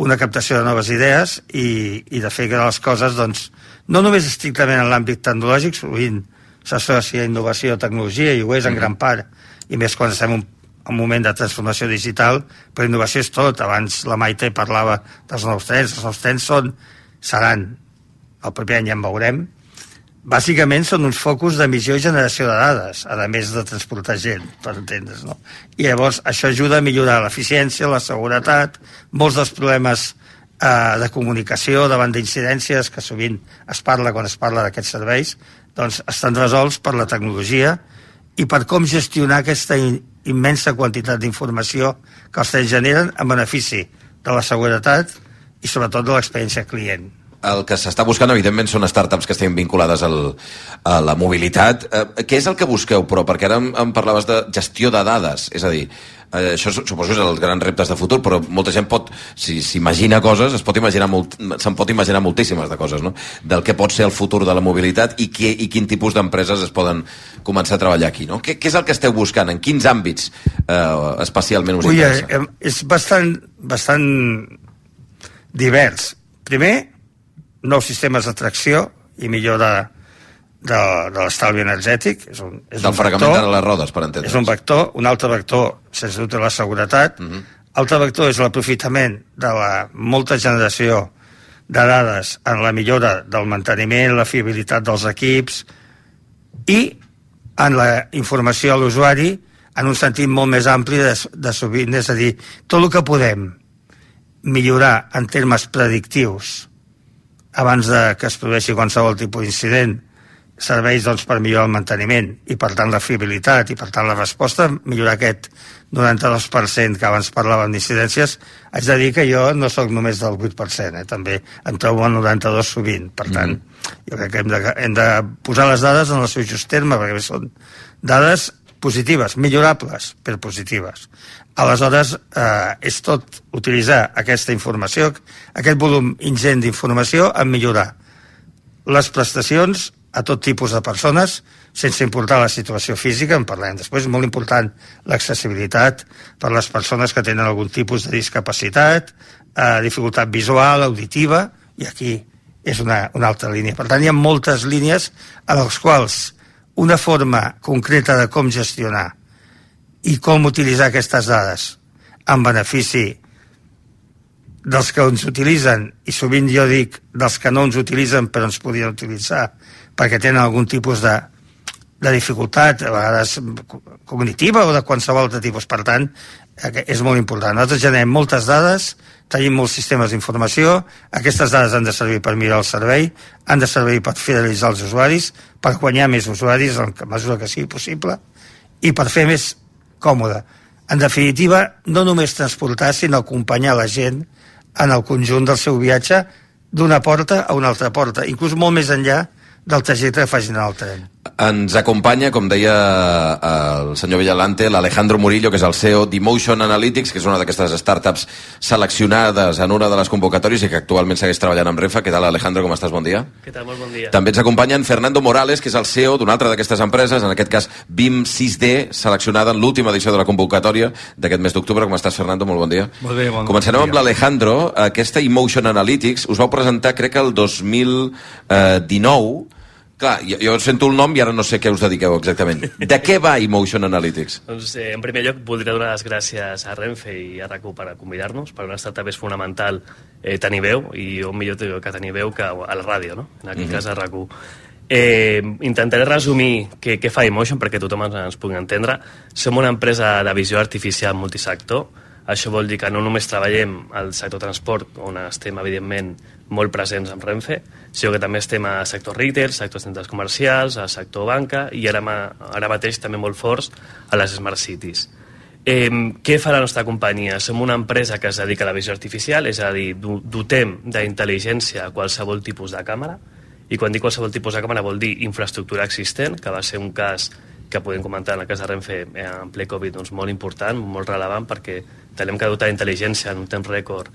una captació de noves idees i de fer que les coses, doncs, no només estrictament en l'àmbit tecnològic, sovint s'associa a innovació o tecnologia, i ho és en gran part, i més quan estem en un moment de transformació digital, però innovació és tot. Abans la Maite parlava dels nous trens. Els nous trens seran, el proper any ja en veurem, bàsicament són uns focus d'emissió i generació de dades, a més de transportar gent, per entendre's, no? I llavors això ajuda a millorar l'eficiència, la seguretat, molts dels problemes de comunicació davant d'incidències que sovint es parla quan es parla d'aquests serveis, doncs estan resolts per la tecnologia i per com gestionar aquesta immensa quantitat d'informació que els trens generen en benefici de la seguretat i sobretot de l'experiència client. El que s'està buscant, evidentment, són startups que estiguin vinculades a la mobilitat. Què és el que busqueu, però? Perquè ara em parlaves de gestió de dades. És a dir, això suposo que és els grans reptes de futur, però molta gent pot, si s'imagina coses, se'n pot imaginar moltíssimes de coses, no? Del que pot ser el futur de la mobilitat i quin tipus d'empreses es poden començar a treballar aquí, no? Què és el que esteu buscant? En quins àmbits especialment us interessa? És bastant divers. Primer, nous sistemes de tracció i millora de l'estalvi energètic. És un del fregament de les rodes, per entendre's. És un vector. Un altre vector, sens dubte, la seguretat. Altre vector és l'aprofitament de la molta generació de dades en la millora del manteniment, la fiabilitat dels equips i en la informació a l'usuari en un sentit molt més ampli de sovint. És a dir, tot el que podem millorar en termes predictius abans que es produeixi qualsevol tipus d'incident serveix doncs, per millorar el manteniment i per tant la fiabilitat i per tant la resposta, millorar aquest 92% que abans parlàvem d'incidències. Haig de dir que jo no sóc només del 8%, també em trobo al 92% sovint. Per tant, jo crec que hem de posar les dades en el seu just terme, perquè són dades positives, millorables, però positives. Aleshores, és tot utilitzar aquesta informació, aquest volum ingent d'informació, en millorar les prestacions a tot tipus de persones, sense importar la situació física, en parlem després. És molt important l'accessibilitat per les persones que tenen algun tipus de discapacitat, dificultat visual, auditiva, i aquí és una altra línia. Per tant, hi ha moltes línies en les quals una forma concreta de com gestionar i com utilitzar aquestes dades en benefici dels que ens utilitzen, i sovint jo dic dels que no ens utilitzen però ens podien utilitzar perquè tenen algun tipus de dificultat, a vegades cognitiva o de qualsevol altre tipus. Per tant, és molt important. Nosaltres generem moltes dades, tenim molts sistemes d'informació, aquestes dades han de servir per millorar el servei, han de servir per fidelitzar els usuaris, per guanyar més usuaris en la mesura que sigui possible i per fer més còmode. En definitiva, no només transportar, sinó acompanyar la gent en el conjunt del seu viatge d'una porta a una altra porta, inclús molt més enllà del trajecte que facin en el tren. Ens acompanya, com deia el senyor Villalante, l'Alejandro Murillo, que és el CEO d'Emotion Analytics, que és una d'aquestes startups seleccionades en una de les convocatòries i que actualment segueix treballant amb Renfe. Què tal, Alejandro? Com estàs? Bon dia. Què tal? Molt bon dia. També ens acompanyen Fernando Morales, que és el CEO d'una altra d'aquestes empreses, en aquest cas BIM 6D, seleccionada en l'última edició de la convocatòria d'aquest mes d'octubre. Com estàs, Fernando? Molt bon dia. Molt bé, bon dia. Començarem amb l'Alejandro. Aquesta Emotion Analytics us vau presentar, crec que el 2019. Clar, jo sento el nom i ara no sé què us dediqueu exactament. De què va Emotion Analytics? Doncs, en primer lloc, voldria donar les gràcies a Renfe i a RAC1 per convidar-nos. Per una startup és fonamental tenir veu, i on millor que tenir veu que a la ràdio, no? En aquest cas a RAC1. Intentaré resumir què fa Emotion perquè tothom ens pugui entendre. Som una empresa de visió artificial multisector. Això vol dir que no només treballem al sector transport, on estem, evidentment, molt presents amb Renfe, sinó que també estem a sector retail, sector centres comercials, a sector banca i ara mateix també molt forts a les Smart Cities. Què fa la nostra companyia? Som una empresa que es dedica a la visió artificial, és a dir, dotem d'intel·ligència qualsevol tipus de càmera, i quan dic qualsevol tipus de càmera vol dir infraestructura existent, que va ser un cas que podem comentar en el cas de Renfe en ple Covid, doncs molt important, molt relevant, perquè tenim que dotar d'intel·ligència en un temps rècord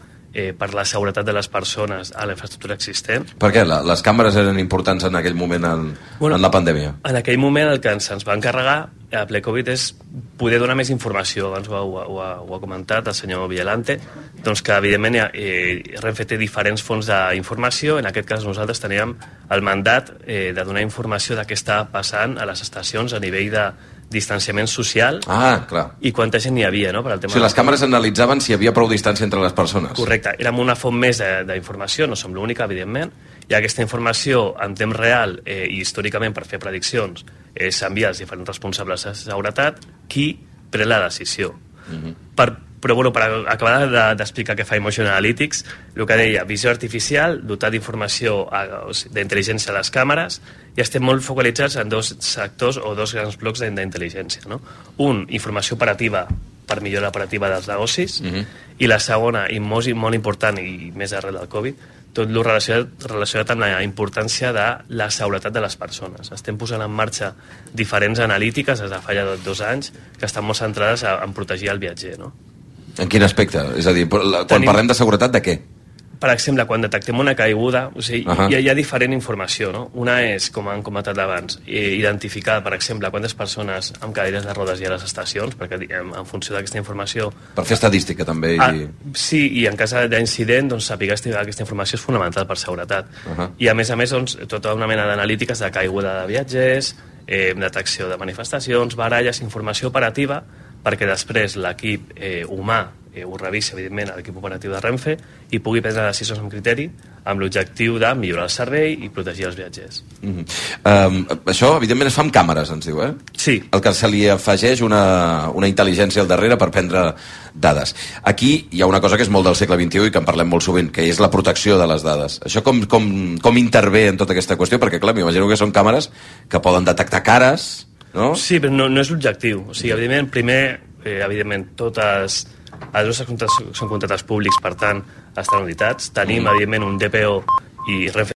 per la seguretat de les persones a la infraestructura existent. Per què? Les càmeres eren importants en aquell moment en la pandèmia? En aquell moment el que ens va encarregar a ple Covid és poder donar més informació. Abans ho ha comentat el senyor Villalante, doncs que evidentment Renfe té diferents fonts d'informació. En aquest cas nosaltres teníem el mandat de donar informació de què està passant a les estacions a nivell de distanciament social i quanta gent hi havia, no? Per al tema les càmeres analitzaven si hi havia prou distància entre les persones. Correcte, érem una font més d'informació, no som l'única, evidentment, i aquesta informació en temps real i històricament per fer prediccions s'envia als diferents responsables de seguretat qui pren la decisió. Però bueno, per acabar d'explicar què fa Emotion Analytics, el que deia, visió artificial, dotar d'informació, d'intel·ligència a les càmeres, i estem molt focalitzats en dos sectors o dos grans blocs d'intel·ligència. No? Un, informació operativa per millora operativa dels negocis, i la segona, i molt important, i més arrel del Covid, tot el relacionat amb la importància de la seguretat de les persones. Estem posant en marxa diferents analítiques des de fa ja 2 anys que estan molt centrades en protegir el viatger. No? En quin aspecte? És a dir, quan parlem de seguretat, de què? Per exemple, quan detectem una caiguda, o sigui, hi ha diferent informació, no? Una és, com han comentat abans, identificar, per exemple, quantes persones amb cadires de rodes hi ha a les estacions, perquè en funció d'aquesta informació... Per fer estadística, també. Sí, i en cas d'incident, doncs, saber aquesta informació és fonamental per seguretat. I, a més, doncs, tota una mena d'analítiques de caiguda de viatgers, detecció de manifestacions, baralles, informació operativa, perquè després l'equip humà ho revisi, evidentment, a l'equip operatiu de Renfe i pugui prendre decisions amb criteri amb l'objectiu de millorar el servei i protegir els viatgers. Això, evidentment, es fa amb càmeres, ens diu, Sí. El que se li afegeix una intel·ligència al darrere per prendre dades. Aquí hi ha una cosa que és molt del segle XXI i que en parlem molt sovint, que és la protecció de les dades. Això com intervé en tota aquesta qüestió? Perquè, clar, m'imagino que són càmeres que poden detectar cares, no? Sí, però no és l'objectiu. O sigui, evidentment, primer, totes els nostres contractes són contractes públics, per tant, estan auditats. Tenim, evidentment, un DPO i Renfe